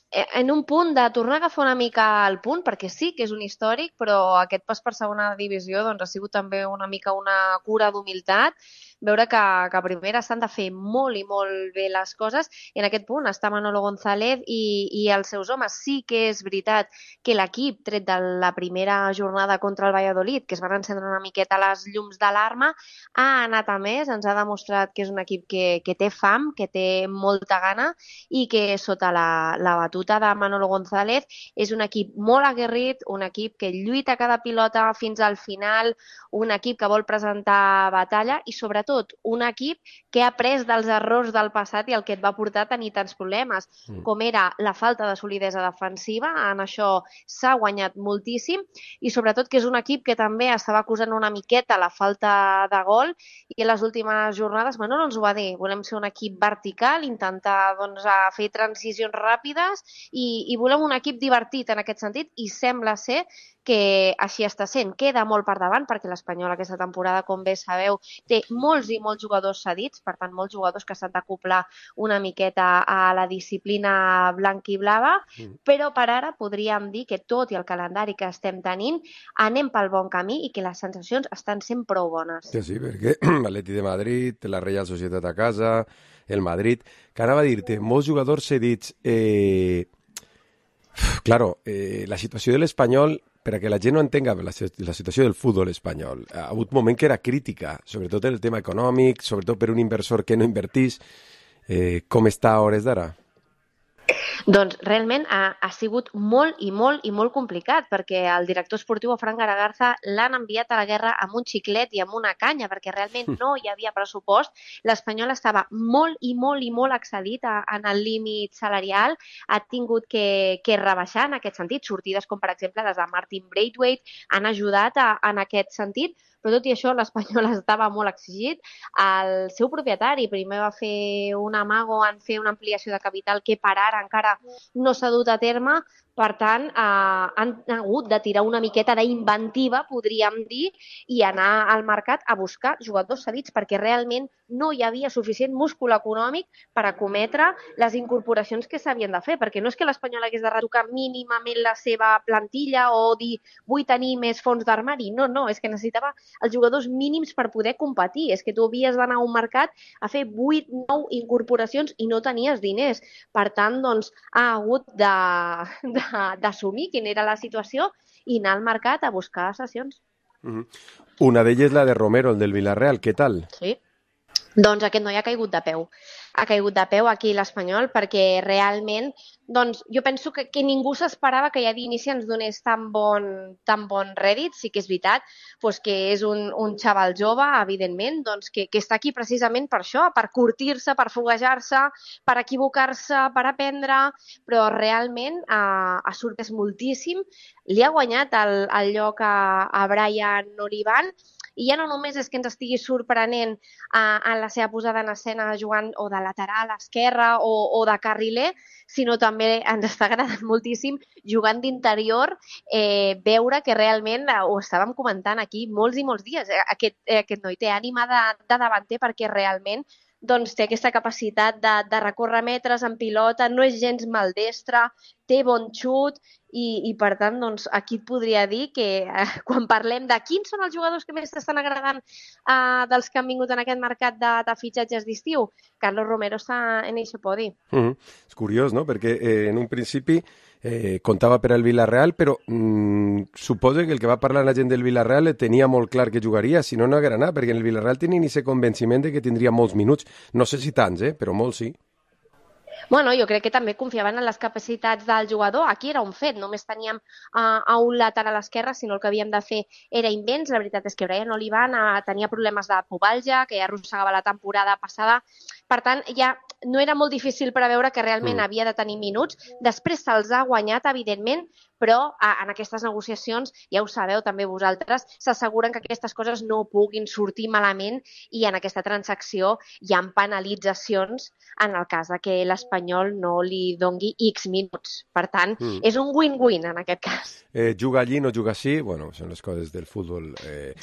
en un punt de tornar a agafar una mica el punt, perquè sí que és un històric, però aquest pas per segona divisió doncs, ha sigut també una mica una cura d'humilitat, veure que a primera s'han de fer molt i molt bé les coses, i en aquest punt està Manolo González i els seus homes. Sí que és veritat que l'equip, tret de la primera jornada contra el Valladolid, que es van encendre una miqueta les llums d'alarma, ha anat a més, ens ha demostrat que és un equip que té fam, que té molta gana i que sota la batuta de Manolo González és un equip molt aguerrit, un equip que lluita cada pilota fins al final, un equip que vol presentar batalla i sobretot un equip que ha après dels errors del passat i el que et va portar a tenir tants problemes, com era la falta de solidesa defensiva. En això s'ha guanyat moltíssim i sobretot que és un equip que també estava acusant una miqueta la falta de gol i en les últimes jornades Manolo ens ho va dir, volem ser un equip vertical, intentar fer transicions ràpides i volem un equip divertit en aquest sentit i sembla ser que així està sent. Queda molt per davant perquè l'Espanyol aquesta temporada, com bé sabeu, té molts i molts jugadors cedits, per tant molts jugadors que s'han d'acoplar una miqueta a la disciplina blanc-i-blava, però per ara podríem dir que tot i el calendari que estem tenint anem pel bon camí i que les sensacions estan sent prou bones. Sí, perquè l'Atleti de Madrid, la Real Societat a casa, el Madrid, que anava a dir-te, molts jugadors cedits. Claro, la situació de l'Espanyol, per a que la gent no entenga la situació del futbol espanyol, ha hagut un moment que era crítica, sobretot en el tema econòmic, sobretot per un inversor que no invertís. Com està a hores d'ara? Doncs realment ha sigut molt i molt complicat perquè el director esportiu, Fran Garagarza, l'han enviat a la guerra amb un xiclet i amb una canya perquè realment no hi havia pressupost. L'Espanyol estava molt excedit en el límit salarial, ha tingut que rebaixar en aquest sentit. Sortides com per exemple les de Martin Braithwaite han ajudat en aquest sentit, però tot i això l'Espanyol estava molt exigit. El seu propietari primer va fer un amago en fer una ampliació de capital que per ara encara no s'ha dut a terme, per tant han hagut de tirar una miqueta d'inventiva, podríem dir, i anar al mercat a buscar jugadors cedits perquè realment no hi havia suficient múscul econòmic per acometre les incorporacions que s'havien de fer, perquè no és que l'Espanyol hagués de retocar mínimament la seva plantilla o dir vull tenir més fons d'armari, no, és que necessitava els jugadors mínims per poder competir, és que tu havies d'anar a un mercat a fer 8-9 incorporacions i no tenies diners, per tant, doncs, ha hagut d'assumir quina era la situació i anar al mercat a buscar cessions. Una d'elles la de Romero, el del Villarreal, què tal? Sí, doncs aquest noi ha caigut de peu. Ha caigut de peu aquí l'Espanyol perquè realment, doncs, jo penso que ningú s'esperava que ja d'inici ens donés tan bon rèdit. Sí que és veritat doncs, que és un xaval jove, evidentment, doncs, que està aquí precisament per això, per curtir-se, per foguejar-se, per equivocar-se, per aprendre, però realment ha sorprès moltíssim. Li ha guanyat el lloc a Brian Olivan, i ja no només és que ens estigui sorprenent en la seva posada en escena jugant o de lateral, esquerra o de carriler, sinó també ens està agradant moltíssim jugant d'interior, veure que realment, ho estàvem comentant aquí molts i molts dies, aquest noi té ànima de davanter perquè realment doncs, té aquesta capacitat de recórrer metres en pilota, no és gens maldestre, té bon xut i per tant, doncs, aquí et podria dir que quan parlem de quins són els jugadors que més t'estan agradant dels que han vingut en aquest mercat de fitxatges d'estiu, Carlos Romero està en aquest podi. És curiós, no? Perquè en un principi comptava per al Villarreal, però suposo que el que va parlar la gent del Villarreal tenia molt clar que jugaria, si no, no haguera anat, perquè en el Villarreal tenien aquest convenciment de que tindria molts minuts. No sé si tants, però molts sí. Bueno, jo crec que també confiaven en les capacitats del jugador. Aquí era un fet, només teníem a un lateral a l'esquerra, sinó el que havíem de fer era invents. La veritat és que Brian Olivan tenia problemes de pubalgia, que ja arrossegava la temporada passada. Per tant, ja no era molt difícil preveure que realment havia de tenir minuts. Després se'ls ha guanyat, evidentment, però en aquestes negociacions, ja ho sabeu també vosaltres, s'asseguren que aquestes coses no puguin sortir malament i en aquesta transacció hi ha penalitzacions en el cas de que l'Espanyol no li dongui X minuts. Per tant, és un win-win en aquest cas. Juga allí, no juga així, bueno, són les coses del futbol.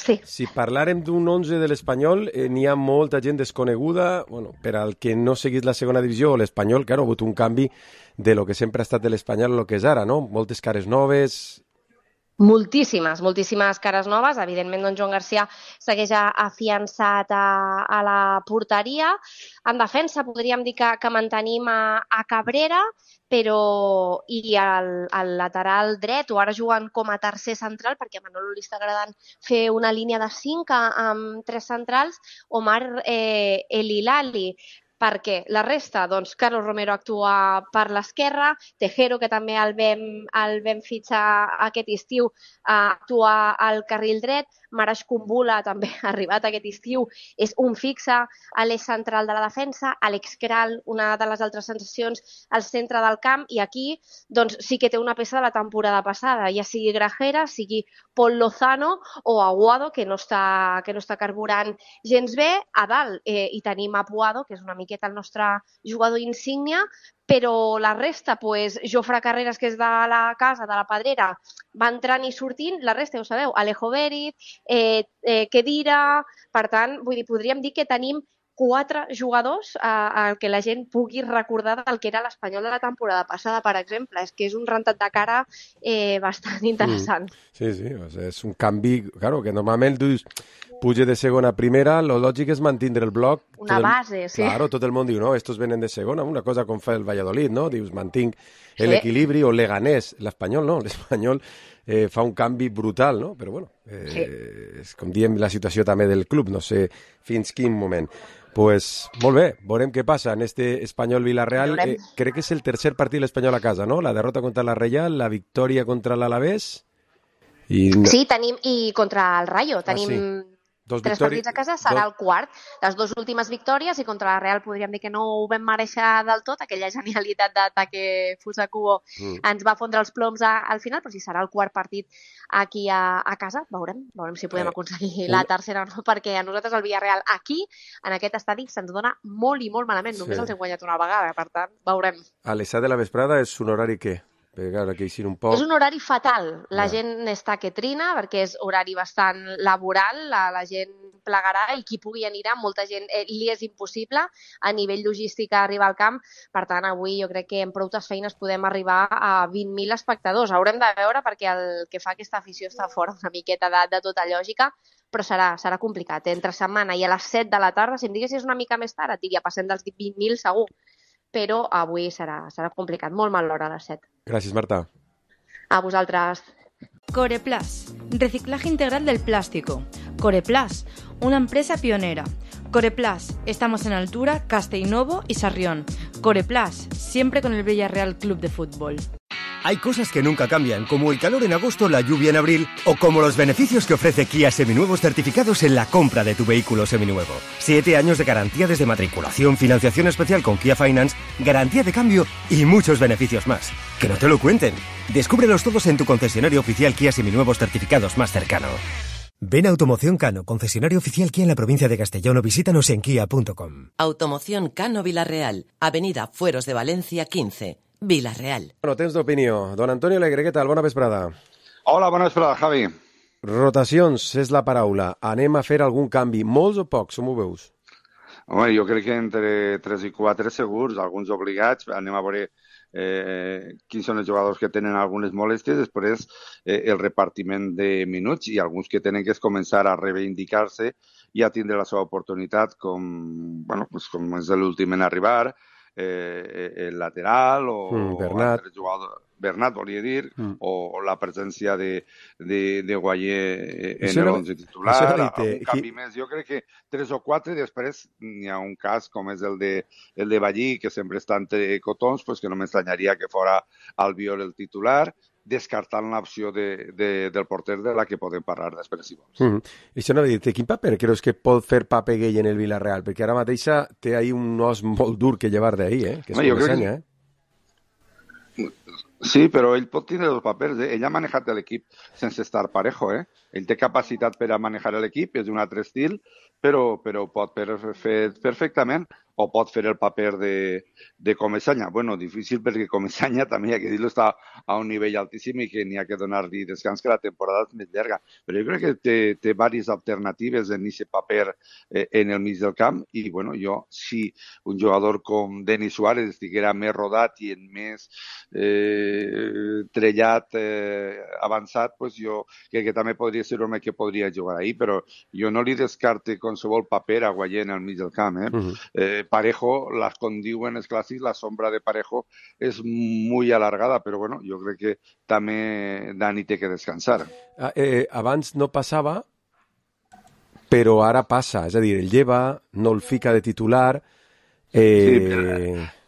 Sí. Si parlàrem d'un 11 de l'Espanyol, n'hi ha molta gent desconeguda, bueno, per al que no seguís la segona divisió o l'Espanyol, claro, ha hagut un canvi de lo que sempre ha estat de l'Espanyol a lo que és ara, no? Moltes cares noves. Moltíssimes cares noves. Evidentment, doncs, Joan Garcia segueix afiançat a la porteria. En defensa podríem dir que mantenim a Cabrera, però i al lateral dret, o ara jugant com a tercer central, perquè a Manolo li està agradant fer una línia de 5 amb 3 centrals, Omar El Hilali. Perquè la resta, doncs, Carlos Romero actua per l'esquerra, Tejero, que també el vam fitxar aquest estiu, actua al carril dret, Marash Kumbula també ha arribat aquest estiu, és un fixe a l'eix central de la defensa, Alex Kral, una de les altres sensacions, al centre del camp, i aquí doncs, sí que té una peça de la temporada passada, ja sigui Grajera, sigui Paul Lozano o Aguado, que no està carburant gens bé. A dalt hi tenim a Puado, que és una miqueta el nostre jugador insígnia, però la resta, pues, Jofre Carreras, que és de la casa, de la Pedrera, va entrant i sortint, la resta, ja ho sabeu, Alejo Berit, Kedira. Per tant, vull dir, podríem dir que tenim 4 jugadors al que la gent pugui recordar del que era l'Espanyol de la temporada passada, per exemple. És que és un rentat de cara bastant interessant. Sí, o sigui, és un canvi, claro, que normalment dius puja de segona a primera, lo lògic és mantindre el bloc. Una base, sí. Claro, tot el món diu, no, estos venen de segona, una cosa com fa el Valladolid, no? Dius, mantinc l'equilibri, o Leganés, l'Espanyol no, l'Espanyol fa un canvi brutal, no? Però bueno, és com diem la situació també del club, no sé fins quin moment. Pues molt bé, veurem què passa en este Espanyol-Villarreal. Crec que és el tercer partit l'Espanyol a casa, no? La derrota contra la Reial, la victòria contra l'Alavés. Sí, tenim, i contra el Rayo, tenim 3 partits a casa, serà el quart. Les 2 últimes victòries, i contra la Real podríem dir que no ho vam mereixer del tot, aquella genialitat d'Ataque Fusakubo ens va fondre els ploms al final, però si serà el quart partit aquí a casa, veurem si podem aconseguir la tercera o no, perquè a nosaltres el Villarreal aquí, en aquest estadi, se'ns dona molt i molt malament, només els hem guanyat una vegada, per tant, veurem. A les 7 de la vesprada és un horari què? És un horari fatal. La gent està que trina, perquè és horari bastant laboral, la gent plegarà i qui pugui anirà, molta gent li és impossible a nivell logístic arribar al camp. Per tant, avui jo crec que en proutes feines podem arribar a 20.000 espectadors. Haurem de veure, perquè el que fa aquesta afició està fora una miqueta de tota lògica, però serà complicat. Entre setmana i a les 7 de la tarda, si em diguessis una mica més tard, et diria, passem dels 20.000 segur. Però avui serà complicat, molt mal l'hora a les 7. Gràcies, Marta. A vosaltres. Coreplas, reciclaje integral del plástico. Coreplas, una empresa pionera. Coreplas, estamos en Altura, Castellnovo y Sarrión. Coreplas, siempre con el Villarreal Club de Fútbol. Hay cosas que nunca cambian, como el calor en agosto, la lluvia en abril, o como los beneficios que ofrece Kia Seminuevos certificados en la compra de tu vehículo seminuevo. 7 años de garantía desde matriculación, financiación especial con Kia Finance, garantía de cambio y muchos beneficios más. ¡Que no te lo cuenten! Descúbrelos todos en tu concesionario oficial Kia Seminuevos certificados más cercano. Ven a Automoción Cano, concesionario oficial Kia en la provincia de Castellón, o visítanos en kia.com. Automoción Cano Villarreal, Avenida Fueros de Valencia 15. Villarreal. Bueno, temps d'opinió. Don Antonio Alegre, què tal? Bona vesprada. Hola, bona vesprada, Javi. Rotacions és la paraula. Anem a fer algun canvi. Molts o pocs, com ho veus? Home, jo crec que entre 3 i 4 segurs, alguns obligats, anem a veure quins són els jugadors que tenen algunes molèsties, després el repartiment de minuts i alguns que tenen que començar a reivindicar-se i a tindre la seva oportunitat com és l'últim en arribar, el lateral o altres jugadors. Bernat, volia dir, o la presència de Guayer en l'11 titular, un canvi més. Jo crec que 3 o 4, i després n'hi ha un cas com és el de Ballí, que sempre està entre cotons, pues que no m'estranyaria que fora Albiol el titular, descartant l'opció del porter de la que podem parlar després, si vols. Això no ha dit, quin paper creus que pot fer Papegui en el Villarreal? Perquè ara mateixa té ahí un os molt dur que llevar d'ahir, que és Comesaña, Sí, però ell pot tindre els papers. Ell ha manejat l'equip sense estar parejo. Ell té capacitat per a manejar l'equip, és un altre estil, però pot fer perfectament, o pot fer el paper de Comesaña. Bueno, difícil perquè Comesaña també, hi ha que dir-lo, està a un nivell altíssim i que n'hi ha que donar-li descans, que la temporada és més llarga. Però jo crec que té diverses alternatives en aquest paper en el mig del camp i, bueno, si un jugador com Denis Suárez estiguera més rodat i en més trellat, avançat, pues jo crec que també podria ser un home que podria jugar ahí, però jo no li descarte qualsevol paper a Guayer en el mig del camp. Parejo, com diuen els clàssics, la sombra de Parejo és molt alargada, però bueno, jo crec que també Dani té que descansar. Abans no passava, però ara passa, és a dir, el lleva, no el fica de titular. Sí,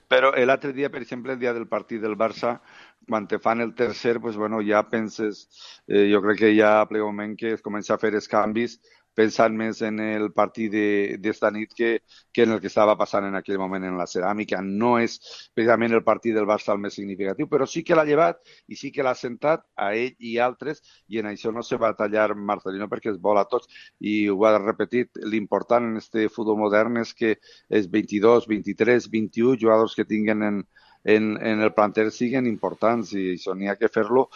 però l'altre dia, per exemple, el dia del partit del Barça, quan te fan el tercer, pues bueno, ja penses, jo crec que ja a ple moment que es comença a fer els canvis pensant més en el partit d'esta nit que en el que estava passant en aquell moment en la ceràmica. No és precisament el partit del Barça el més significatiu, però sí que l'ha llevat i sí que l'ha sentat a ell i altres, i en això no se va tallar Marcelino perquè es vol a tots. I ho ha repetit, l'important en este futbol modern és que els 22, 23, 21 jugadors que tinguen en el planter siguen importants i això n'hi ha que fer-lo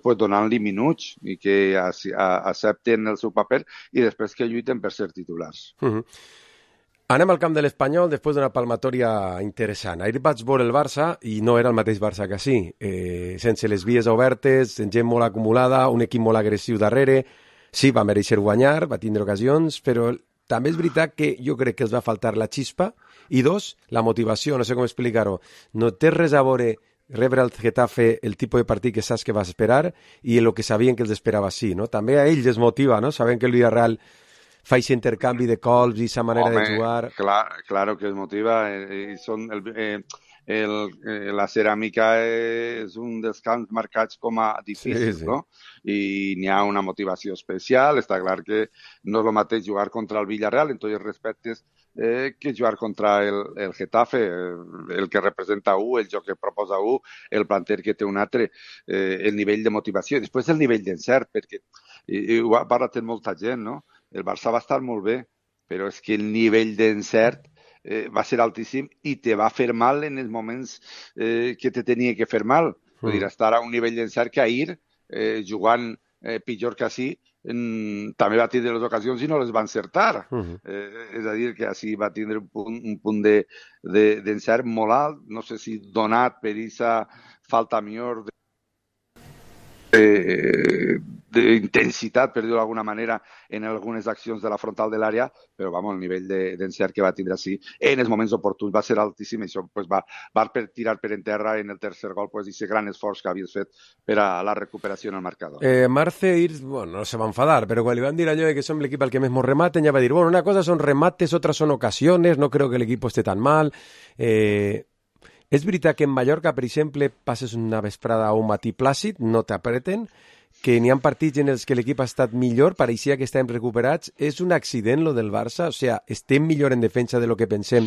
pues, donant-li minuts i que accepten el seu paper i després que lluiten per ser titulars. Anem al camp de l'Espanyol després d'una palmatòria interessant. Ahir vaig veure el Barça i no era el mateix Barça que sí. Sense les vies obertes, gent molt acumulada, un equip molt agressiu darrere. Sí, va mereixer guanyar, va tindre ocasions, però també és veritat que jo crec que els va faltar la xispa i dos, la motivació, no sé com explicar-ho. No té res a veure rebre al Getafe el tipus de partit que saps que vas esperar i el que sabien que els esperava sí, no? També a ells es motiva, no? Saben que el Villarreal fa aquest intercanvi de colps i aquesta manera de jugar. Claro que es motiva. La ceràmica és un dels camps marcats com a difícils, sí. No? I n'hi ha una motivació especial. Està clar que no és el mateix jugar contra el Villarreal en tots els respectes que jugar contra el Getafe, el que representa el joc que proposa el planter que té un altre, el nivell de motivació. Després el nivell d'encert, perquè ho ha parlat molta gent, no? El Barça va estar molt bé, però és que el nivell d'encert va ser altíssim i te va fer mal en els moments que te tenia que fer mal. Vull dir, estar a un nivell d'encert que ahir, jugant pitjor que així, també va tindre les ocasions i no les va encertar. És a dir, que així va tindre un punt d'encert molt alt, no sé si donat per aquesta falta millor d'intensitat, per dir-ho d'alguna manera, en algunes accions de la frontal de l'àrea, però el nivell d'encert que va tindre així en els moments oportuns va ser altíssim i això va tirar per en terra en el tercer gol aquest gran esforç que havies fet per a la recuperació en el marcador. Marce no se va enfadar, però quan li van dir allò que som l'equip al que més mos rematen, ja va dir, una cosa són remates, otras son ocasiones, no creo que l'equip esté tan mal. És veritat que en Mallorca, per exemple, passes una vesprada o un matí plàcid, no t'apreten, que n'hi ha partits en els que l'equip ha estat millor, pareixia que estàvem recuperats. És un accident, lo del Barça? O sigui, estem millor en defensa de lo que pensem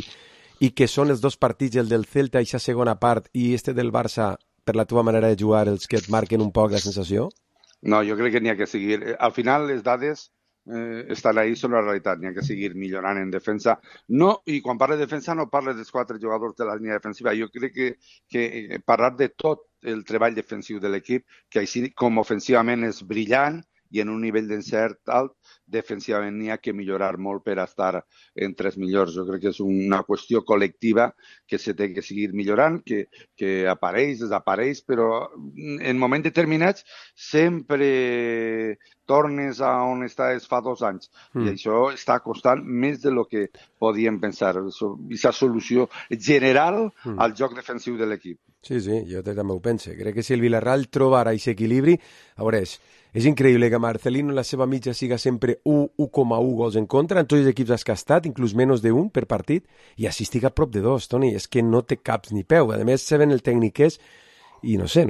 i que són els dos partits, el del Celta i la segona part, i del Barça, per la teva manera de jugar, els que et marquen un poc la sensació? No, jo crec que n'hi ha que seguir. Al final, les dades estan ahí, són la realitat. N'hi ha que seguir millorant en defensa. No, i quan parles de defensa no parles dels 4 jugadors de la línia defensiva. Jo crec que parlar de tot el treball defensiu de l'equip, que així com ofensivament és brillant i en un nivell d'encert alt, defensivament n'hi ha que millorar molt per estar entre els millors. Jo crec que és una qüestió col·lectiva que se té que seguir millorant, que apareix, desapareix, però en moments determinats sempre tornes a on estaves fa 2 anys. I això està costant més de lo que podíem pensar. Aquesta solució general al joc defensiu de l'equip. Sí, jo també ho penso. Crec que si el Villarreal troba ara aquest equilibri, a veure, és increïble que Marcelino en la seva mitja siga sempre 1,1 gols en contra, en tots els equips has castat, inclús menys de 1 per partit, i així estic a prop de 2, Toni. És que no té caps ni peu. A més, sabent el tècnic és, i no sé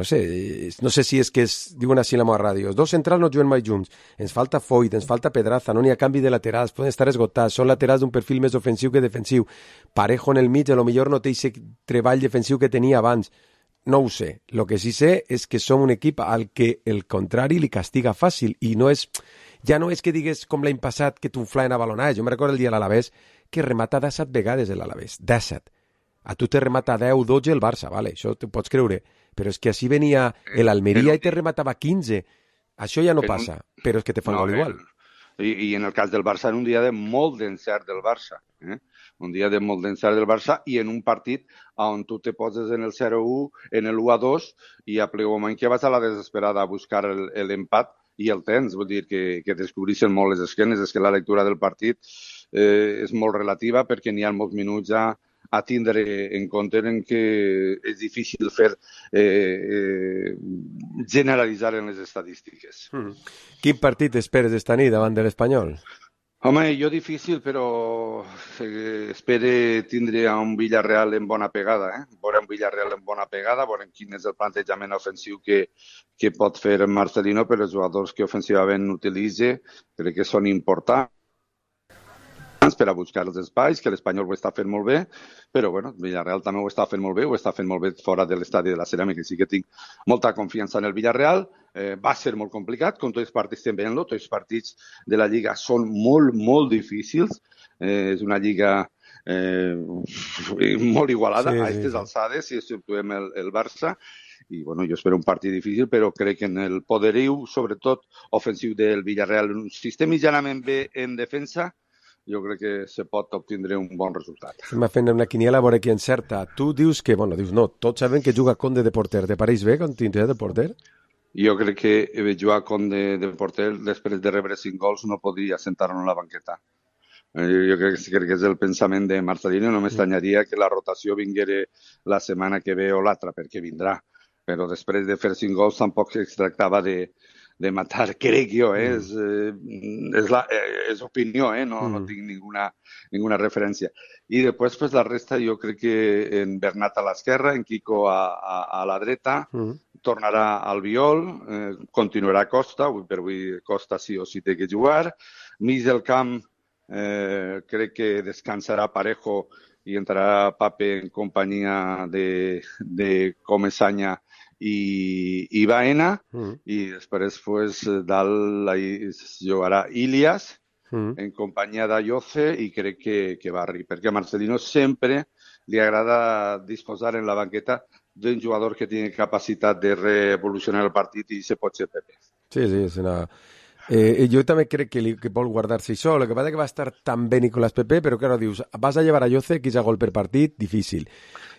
si és que diuen així a la meva ràdio, els 2 centrals no juguen mai junts, ens falta Foyt, ens falta Pedraza, no n'hi ha canvi de laterals, poden estar esgotats, són laterals d'un perfil més ofensiu que defensiu, Parejo en el mig, potser no té aquest treball defensiu que tenia abans, no ho sé. El que sí sé és que som un equip al que el contrari li castiga fàcil, i ja no és que digues com l'any passat que t'unflaven a balonades. Jo me recordo el dia a l'Alavés que remata 17 vegades l'Alavés, 17. A tu te remata 10, 12 el Barça, vale, això t'ho pots creure, però és que així venia l'Almeria i te rematava 15. Això ja no passa, però és que te fan gol igual. I en el cas del Barça, en un dia de molt d'encert del Barça, un dia de molt d'encert del Barça, i en un partit on tu te poses en el 0-1, en el 1-2, i a ple moment que vas a la desesperada a buscar l'empat, i el tens, vull dir que descobreixen molt les esquenes. És que la lectura del partit és molt relativa, perquè n'hi ha molts minuts a tindre en compte en que és difícil fer generalitzar en les estadístiques. Quin partit esperes esta nit davant de l'Espanyol? Home, jo difícil, però espero tindre un Villarreal en bona pegada. Veurem un Villarreal en bona pegada, veurem quin és el plantejament ofensiu que pot fer Marcelino, però els jugadors que ofensivament utilitza crec que són importants per a buscar els espais, que l'Espanyol ho està fent molt bé, però bueno, Villarreal també ho està fent molt bé, fora de l'estadi de la Ceràmica, sí que tinc molta confiança en el Villarreal. Va ser molt complicat, com tots els partits estem veient-lo, tots els partits de la Lliga són molt, molt difícils, és una Lliga molt igualada a aquestes alçades, si exceptuem el Barça, i bueno, jo espero un partit difícil, però crec que en el poderiu, sobretot ofensiu del Villarreal, si estem mitjanament bé en defensa, jo crec que se pot obtindre un bon resultat. Estem fent una quiniela a veure qui encerta. Tu dius que, dius no, tots saben que juga Conde de porter. Te pareix bé quan tindrà de porter? Jo crec que jugar Conde de porter després de rebre 5 gols no podria sentar-lo en la banqueta. Jo crec que és el pensament de Marcelino. No m'estranyaria que la rotació vinguera la setmana que ve o l'altra, perquè vindrà. Però després de fer 5 gols tampoc es tractava de matar, crec jo, és opinió, no tinc ninguna referència. I després, pues, la resta, jo crec que en Bernat a l'esquerra, en Quico a la dreta, tornarà Albiol, continuarà Costa, avui per avui Costa sí o sí té que jugar. Mig del camp, crec que descansarà Parejo i entrarà Pape en companyia de Comesaña i Baena, i després pues, dalt jugarà Ilias en companyia d'Ayoce, i crec que Barri, perquè a Marcelino sempre li agrada disposar en la banqueta d'un jugador que tingui capacitat de revolucionar el partit, i se pot ser Pepe. Sí, és una... jo també crec que vol guardar-se això. El que passa que va estar tan bé Nicolás Pepe, però claro, dius, vas a llevar a Yoce, 15 gol per partit, difícil.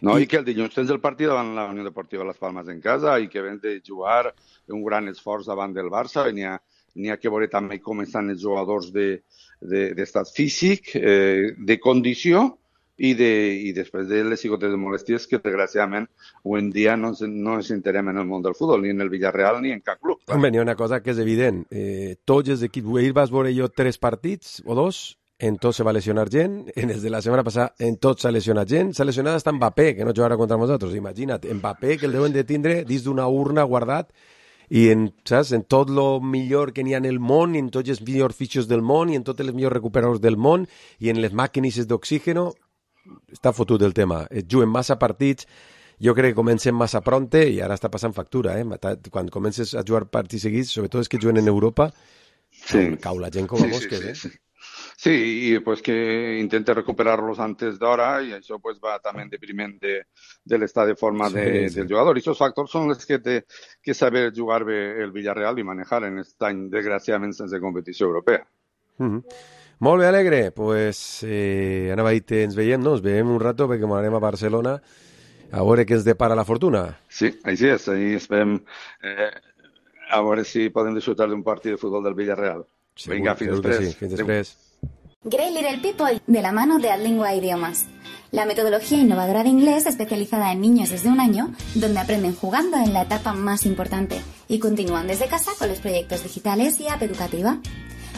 No, i que el dilluns tens el partit davant la Unió Deportiva Las Palmas en casa, i que vens de jugar un gran esforç davant del Barça, i n'hi ha que veure també com estan els jugadors d'estat físic, de condició, i després de les cigotes de molèsties que, desgraciadament, avui en dia no ens enterem en el món del futbol, ni en el Villarreal ni en cap club. Home, n'hi ha una cosa que és evident. Tots els equips, ahir vas veure jo 3 partits o 2, en tots se va lesionar gent, en els de la setmana passada en tots s'ha lesionat gent, s'ha lesionat hasta Mbappé, que no jugarà contra nosaltres. Imagina't, Mbappé, que el deuen de tindre dins d'una urna guardat, i en tot el millor que n'hi ha en el món, i en tots els millors fitxos del món, i en tots els millors recuperadors del món, i en les màquines d'oxígeno. Està fotut el tema. Juguen massa partits, jo crec que comencen massa pronte, i ara està passant factura. Quan comences a jugar partits seguits, sobretot els que juguen en Europa, cau la gent com a mosques. Sí, y pues que intente recuperarlos antes d'hora i això pues va també en depriment de l'estat de forma del jugador. I aquests factors són els que té que saber jugar bé el Villarreal i manejar en aquest any, desgraciadament, sense competició europea. Molt bé, Alegre. Pues, Ana Baite, ens veiem, no? Ens veiem un rato perquè m'anem a Barcelona a veure què ens depara la fortuna. Sí, així és. Ahí esperem a veure si podem disfrutar d'un partit de futbol del Villarreal. Vinga, fins després. Sí, fins després. Great Little People, de la mano de Adlingua Idiomas. La metodología innovadora de inglés especializada en niños desde 1 año, donde aprenden jugando en la etapa más importante y continúan desde casa con los proyectos digitales y app educativa.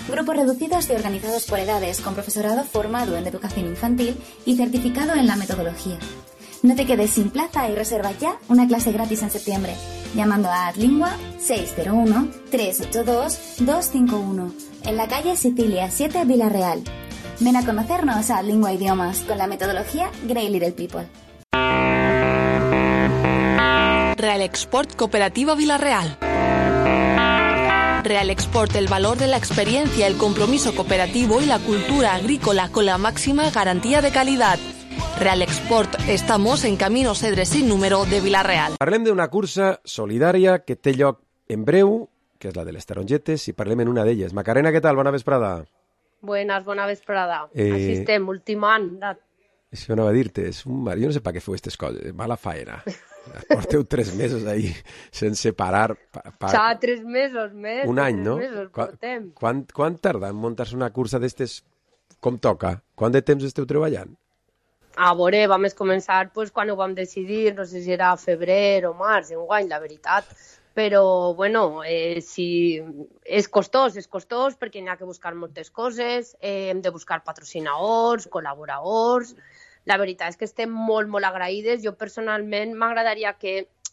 Grupos reducidos y organizados por edades, con profesorado formado en educación infantil y certificado en la metodología. No te quedes sin plaza y reserva ya una clase gratis en septiembre, llamando a Adlingua 601-382-251, en la calle Sicilia 7, Villarreal. Ven a conocernos a Adlingua Idiomas con la metodología Great Little People. Real Export Cooperativa Villarreal. Real Export, el valor de la experiencia, el compromiso cooperativo y la cultura agrícola con la máxima garantía de calidad. Real Export, estamos en Camino Cedre sin número de Villarreal. Parlem d'una cursa solidària que té lloc en breu, que és la de les tarongetes, i parlem en una d'elles. Macarena, què tal? Bona vesprada. Buenas, bona vesprada. Així estem, últim any. Això anava a dir-te, jo no sé per què feu aquestes coses, mala faena. Porteu 3 mesos ahí sense parar. Ja 3 mesos més. Un any, no? 3 mesos portem. Quan tarda en muntar-se una cursa d'estes com toca? Quant de temps esteu treballant? A veure, vam començar pues, quan ho vam decidir, no sé si era febrer o març, enguany, la veritat. Però, bueno, si és costós perquè n'hi ha que buscar moltes coses, hem de buscar patrocinadors, col·laboradors. La veritat és que estem molt, molt agraïdes. Jo personalment m'agradaria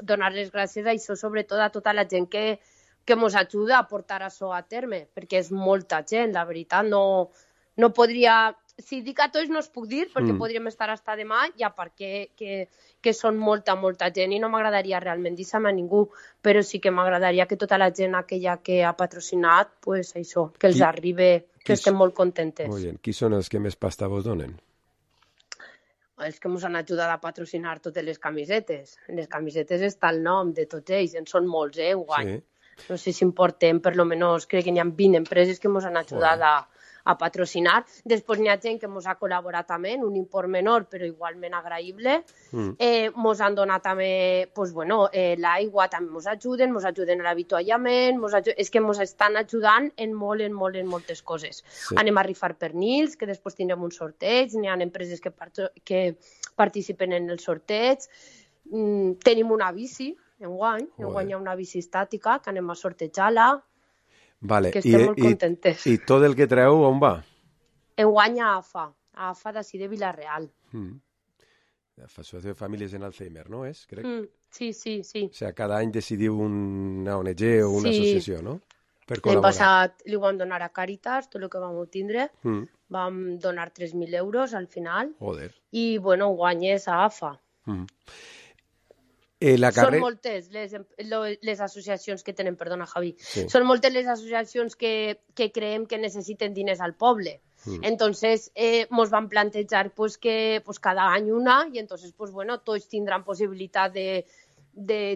donar les gràcies a això, sobretot a tota la gent que ens ajuda a portar això a terme, perquè és molta gent, la veritat. No podria... Si dic a tots no es puc dir, perquè podríem estar fins demà, ja perquè que són molta gent i no m'agradaria realment dir-se-me a ningú, però sí que m'agradaria que tota la gent aquella que ha patrocinat, pues això, que els arribi, que estem molt contentes. Molt bé. Qui són els que més pasta vos donen? Els que ens han ajudat a patrocinar totes les camisetes. En les camisetes està el nom de tots ells, en són molts, enguany. Sí. No sé si en portem, per lo menos, crec que n'hi ha 20 empreses que ens han ajudat a patrocinar. Després n'hi ha gent que ens ha col·laborat també en un import menor, però igualment agraïble. Ens han donat també, pues, bueno, l'aigua també ens ajuden a l'avituallament, és que ens estan ajudant en moltes coses. Sí. Anem a rifar pernils, que després tindrem un sorteig, n'hi ha empreses que participen en el sorteig. Tenim una bici, enguany hi ha una bici estàtica, que anem a sortejar-la. Vale. Que estem molt contentes. I tot el que treu, on va? Enguany a AFA d'ací de Villarreal. Associació de Famílies en Alzheimer, no és? Crec. Sí. O sigui, cada any decidiu una ONG o una associació, no? Per col·laborar. L'any passat li vam donar a Càritas tot el que vam obtindre. Vam donar 3.000 euros al final. Joder. I, bueno, enguany és a AFA. Són moltes les associacions que tenen, perdona Javi, són moltes les associacions que creiem que necessiten diners al poble. Entonces, ens van plantejar que cada any una i entonces, tots tindran possibilitat de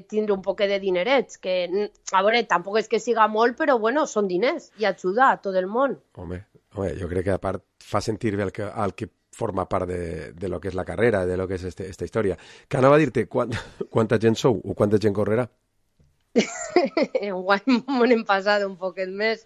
tindre un poc de dinerets, que, a veure, tampoc és que siga molt, però, bueno, són diners i ajuda a tot el món. Home, jo crec que a part fa sentir bé el que forma part de lo que és la carrera, de lo que és esta història. Que anava a dir-te, quanta gent sou o quanta gent correrà? Enguany m'hem passat un poquet més.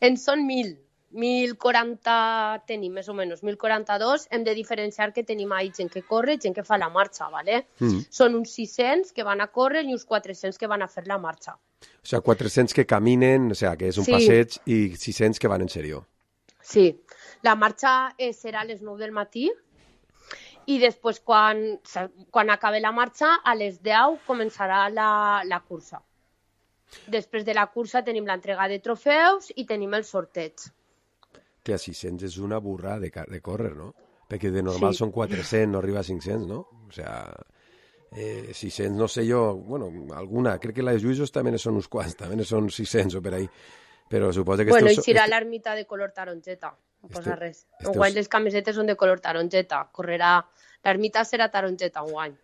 En són 1.040 tenim, més o menys, 1.042. Hem de diferenciar que tenim ahí gent que corre, gent que fa la marxa, ¿vale? Són uns 600 que van a córrer i uns 400 que van a fer la marxa. O sigui, 400 que caminen, o sigui, que és un passeig, i 600 que van en sèrio. Sí. La marxa serà a les 9 del matí i després, quan acabi la marxa, a les 10 començarà la cursa. Després de la cursa tenim l'entrega de trofeus i tenim el sorteig. Que a 600 és una burra de córrer, no? Perquè de normal són 400, no arriba a 500, no? O sigui, 600, no sé jo, bueno, alguna, crec que la de Lluïsos també són uns quants, també són 600 o per ahí. Però suposo que... Bueno, i serà l'ermita de color taronjeta. No passa res. Enguany les camisetes són de color taronjeta. L'ermita serà taronjeta enguany,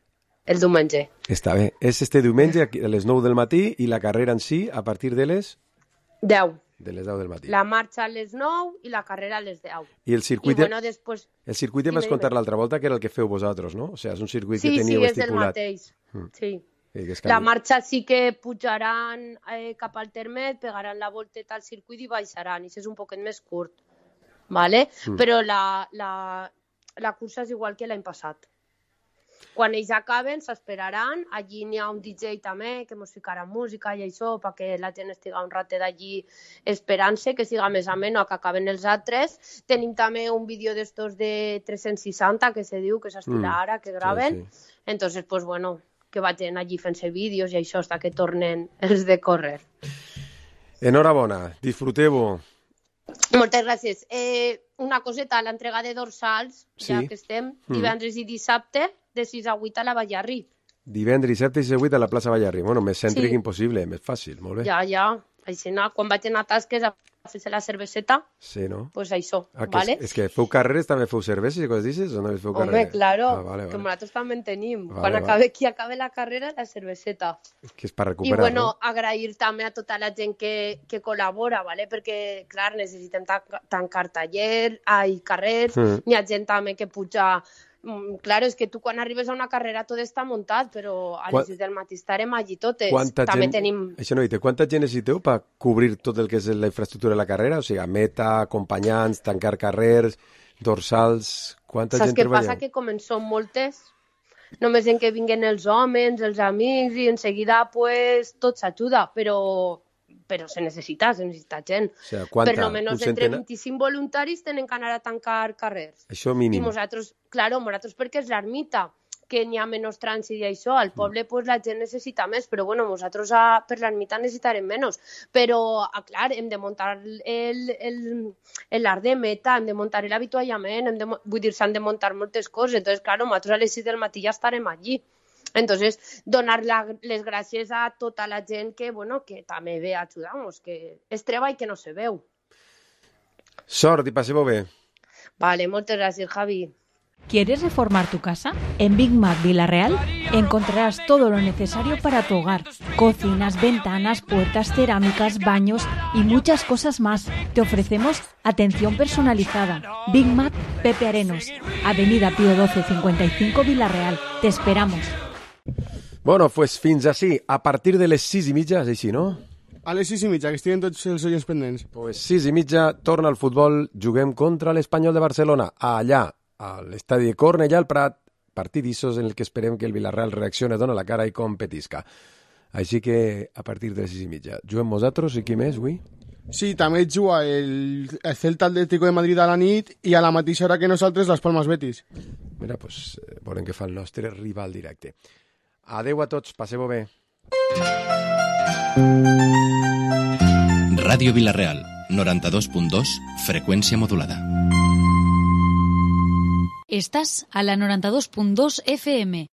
el diumenge. Està bé. És este diumenge a les 9 del matí i la carrera en si a partir de les... 10. De les 10 del matí. La marxa a les 9 i la carrera a les 10. I el circuit... després... El circuit em vas contar l'altra volta que era el que feu vosaltres, no? O sigui, és un circuit que Sí, teníeu és el estipulat. mateix. Sí. La marxa sí que pujaran cap al termet, pegaran la volteta al circuit i baixaran, i és un poquet més curt, ¿vale? Però la cursa és igual que l'any passat. Quan ells acaben, s'esperaran, allí n'hi ha un DJ també, que mos ficarà música i això, perquè la gent estiga un ratet allí esperant-se, que siga més ameno a que acaben els altres. Tenim també un vídeo d'estos de 360, que se diu, que s'estila ara, que graven. Sí. Entonces, pues bueno, que vagin allí fent-se vídeos i això, hasta que tornen els de córrer. Enhorabona, disfruteu-ho. Moltes gràcies. Una coseta, l'entrega de dorsals, ja que estem, divendres i dissabte, de 6 a 8 a la Ballarri. Divendres, dissabte i 6 a 8 a la plaça Ballarri. Bueno, més cèntric impossible, més fàcil, molt bé. Ja. Així, quan vaig anar a tasques a fer-se la cerveseta, pues això, ¿vale? És que feu carreres, també feu cerveses i coses d'aixes, o no feu carreres? Home, claro, que nosaltres també en tenim. Quan qui acabe la carrera, la cerveseta. Que és per recuperar, I bueno, agrair també a tota la gent que col·labora, ¿vale? Perquè, clar, necessitem tancar carrers, hi ha gent també que puja... Claro, és que tu quan arribes a una carrera tot està muntat, però a les 6 del matí estarem allí totes. També tenim... Això no dit, quanta gent necessiteu per cobrir tot el que és la infraestructura de la carrera? O sigui, meta, acompanyants, tancar carrers, dorsals... Quanta gent treballeu? Saps què passa? Que com en són moltes, només en que vinguen els homes, els amics, i en seguida pues, tot s'ajuda, però se necessita gent. O sigui, quanta? Per almenys entre 25 voluntaris tenen que anar a tancar carrers. Això mínim. I nosaltres perquè és l'ermita, que n'hi ha menys trànsit i això, al poble pues, la gent necessita més, però bueno, nosaltres per l'ermita necessitarem menys. Però, clar, hem de muntar l'art de meta, hem de muntar l'avituallament, vull dir, s'han de muntar moltes coses. Entonces, clar, nosaltres a les 6 del matí ja estarem allí. Entonces, donar les gràcies a tota la gent que també ve a ajudar-nos, que és treball que no se veu. Sort i passeu bé. Vale, moltes gràcies, Javi. ¿Quieres reformar tu casa? En Big Mac Villarreal encontrarás todo lo necesario para tu hogar. Cocinas, ventanas, puertas, cerámicas, baños y muchas cosas más. Te ofrecemos atención personalizada. Big Mac Pepe Arenos, Avenida Pío 12 55 Villarreal. Te esperamos. Bueno, pues fins així. A partir de les 6:30, és així, no? A les 6:30, que estiguen tots els oients pendents. Pues 6:30, torna al futbol, juguem contra l'Espanyol de Barcelona, allà, a l'estadi de Cornellà al Prat, partidissos en el que esperem que el Villarreal reaccione, dona la cara i competisca. Així que a partir de les 6:30. Juguem nosaltres i qui més, avui? Sí, també juga el Celta Atlético de Madrid a la nit i a la mateixa hora que nosaltres Las Palmas Betis. Mira, pues veurem què fa el nostre rival directe. Adeu a tots, passeu bé. Ràdio Villarreal, 92.2, freqüència modulada. Estás a la 92.2 FM.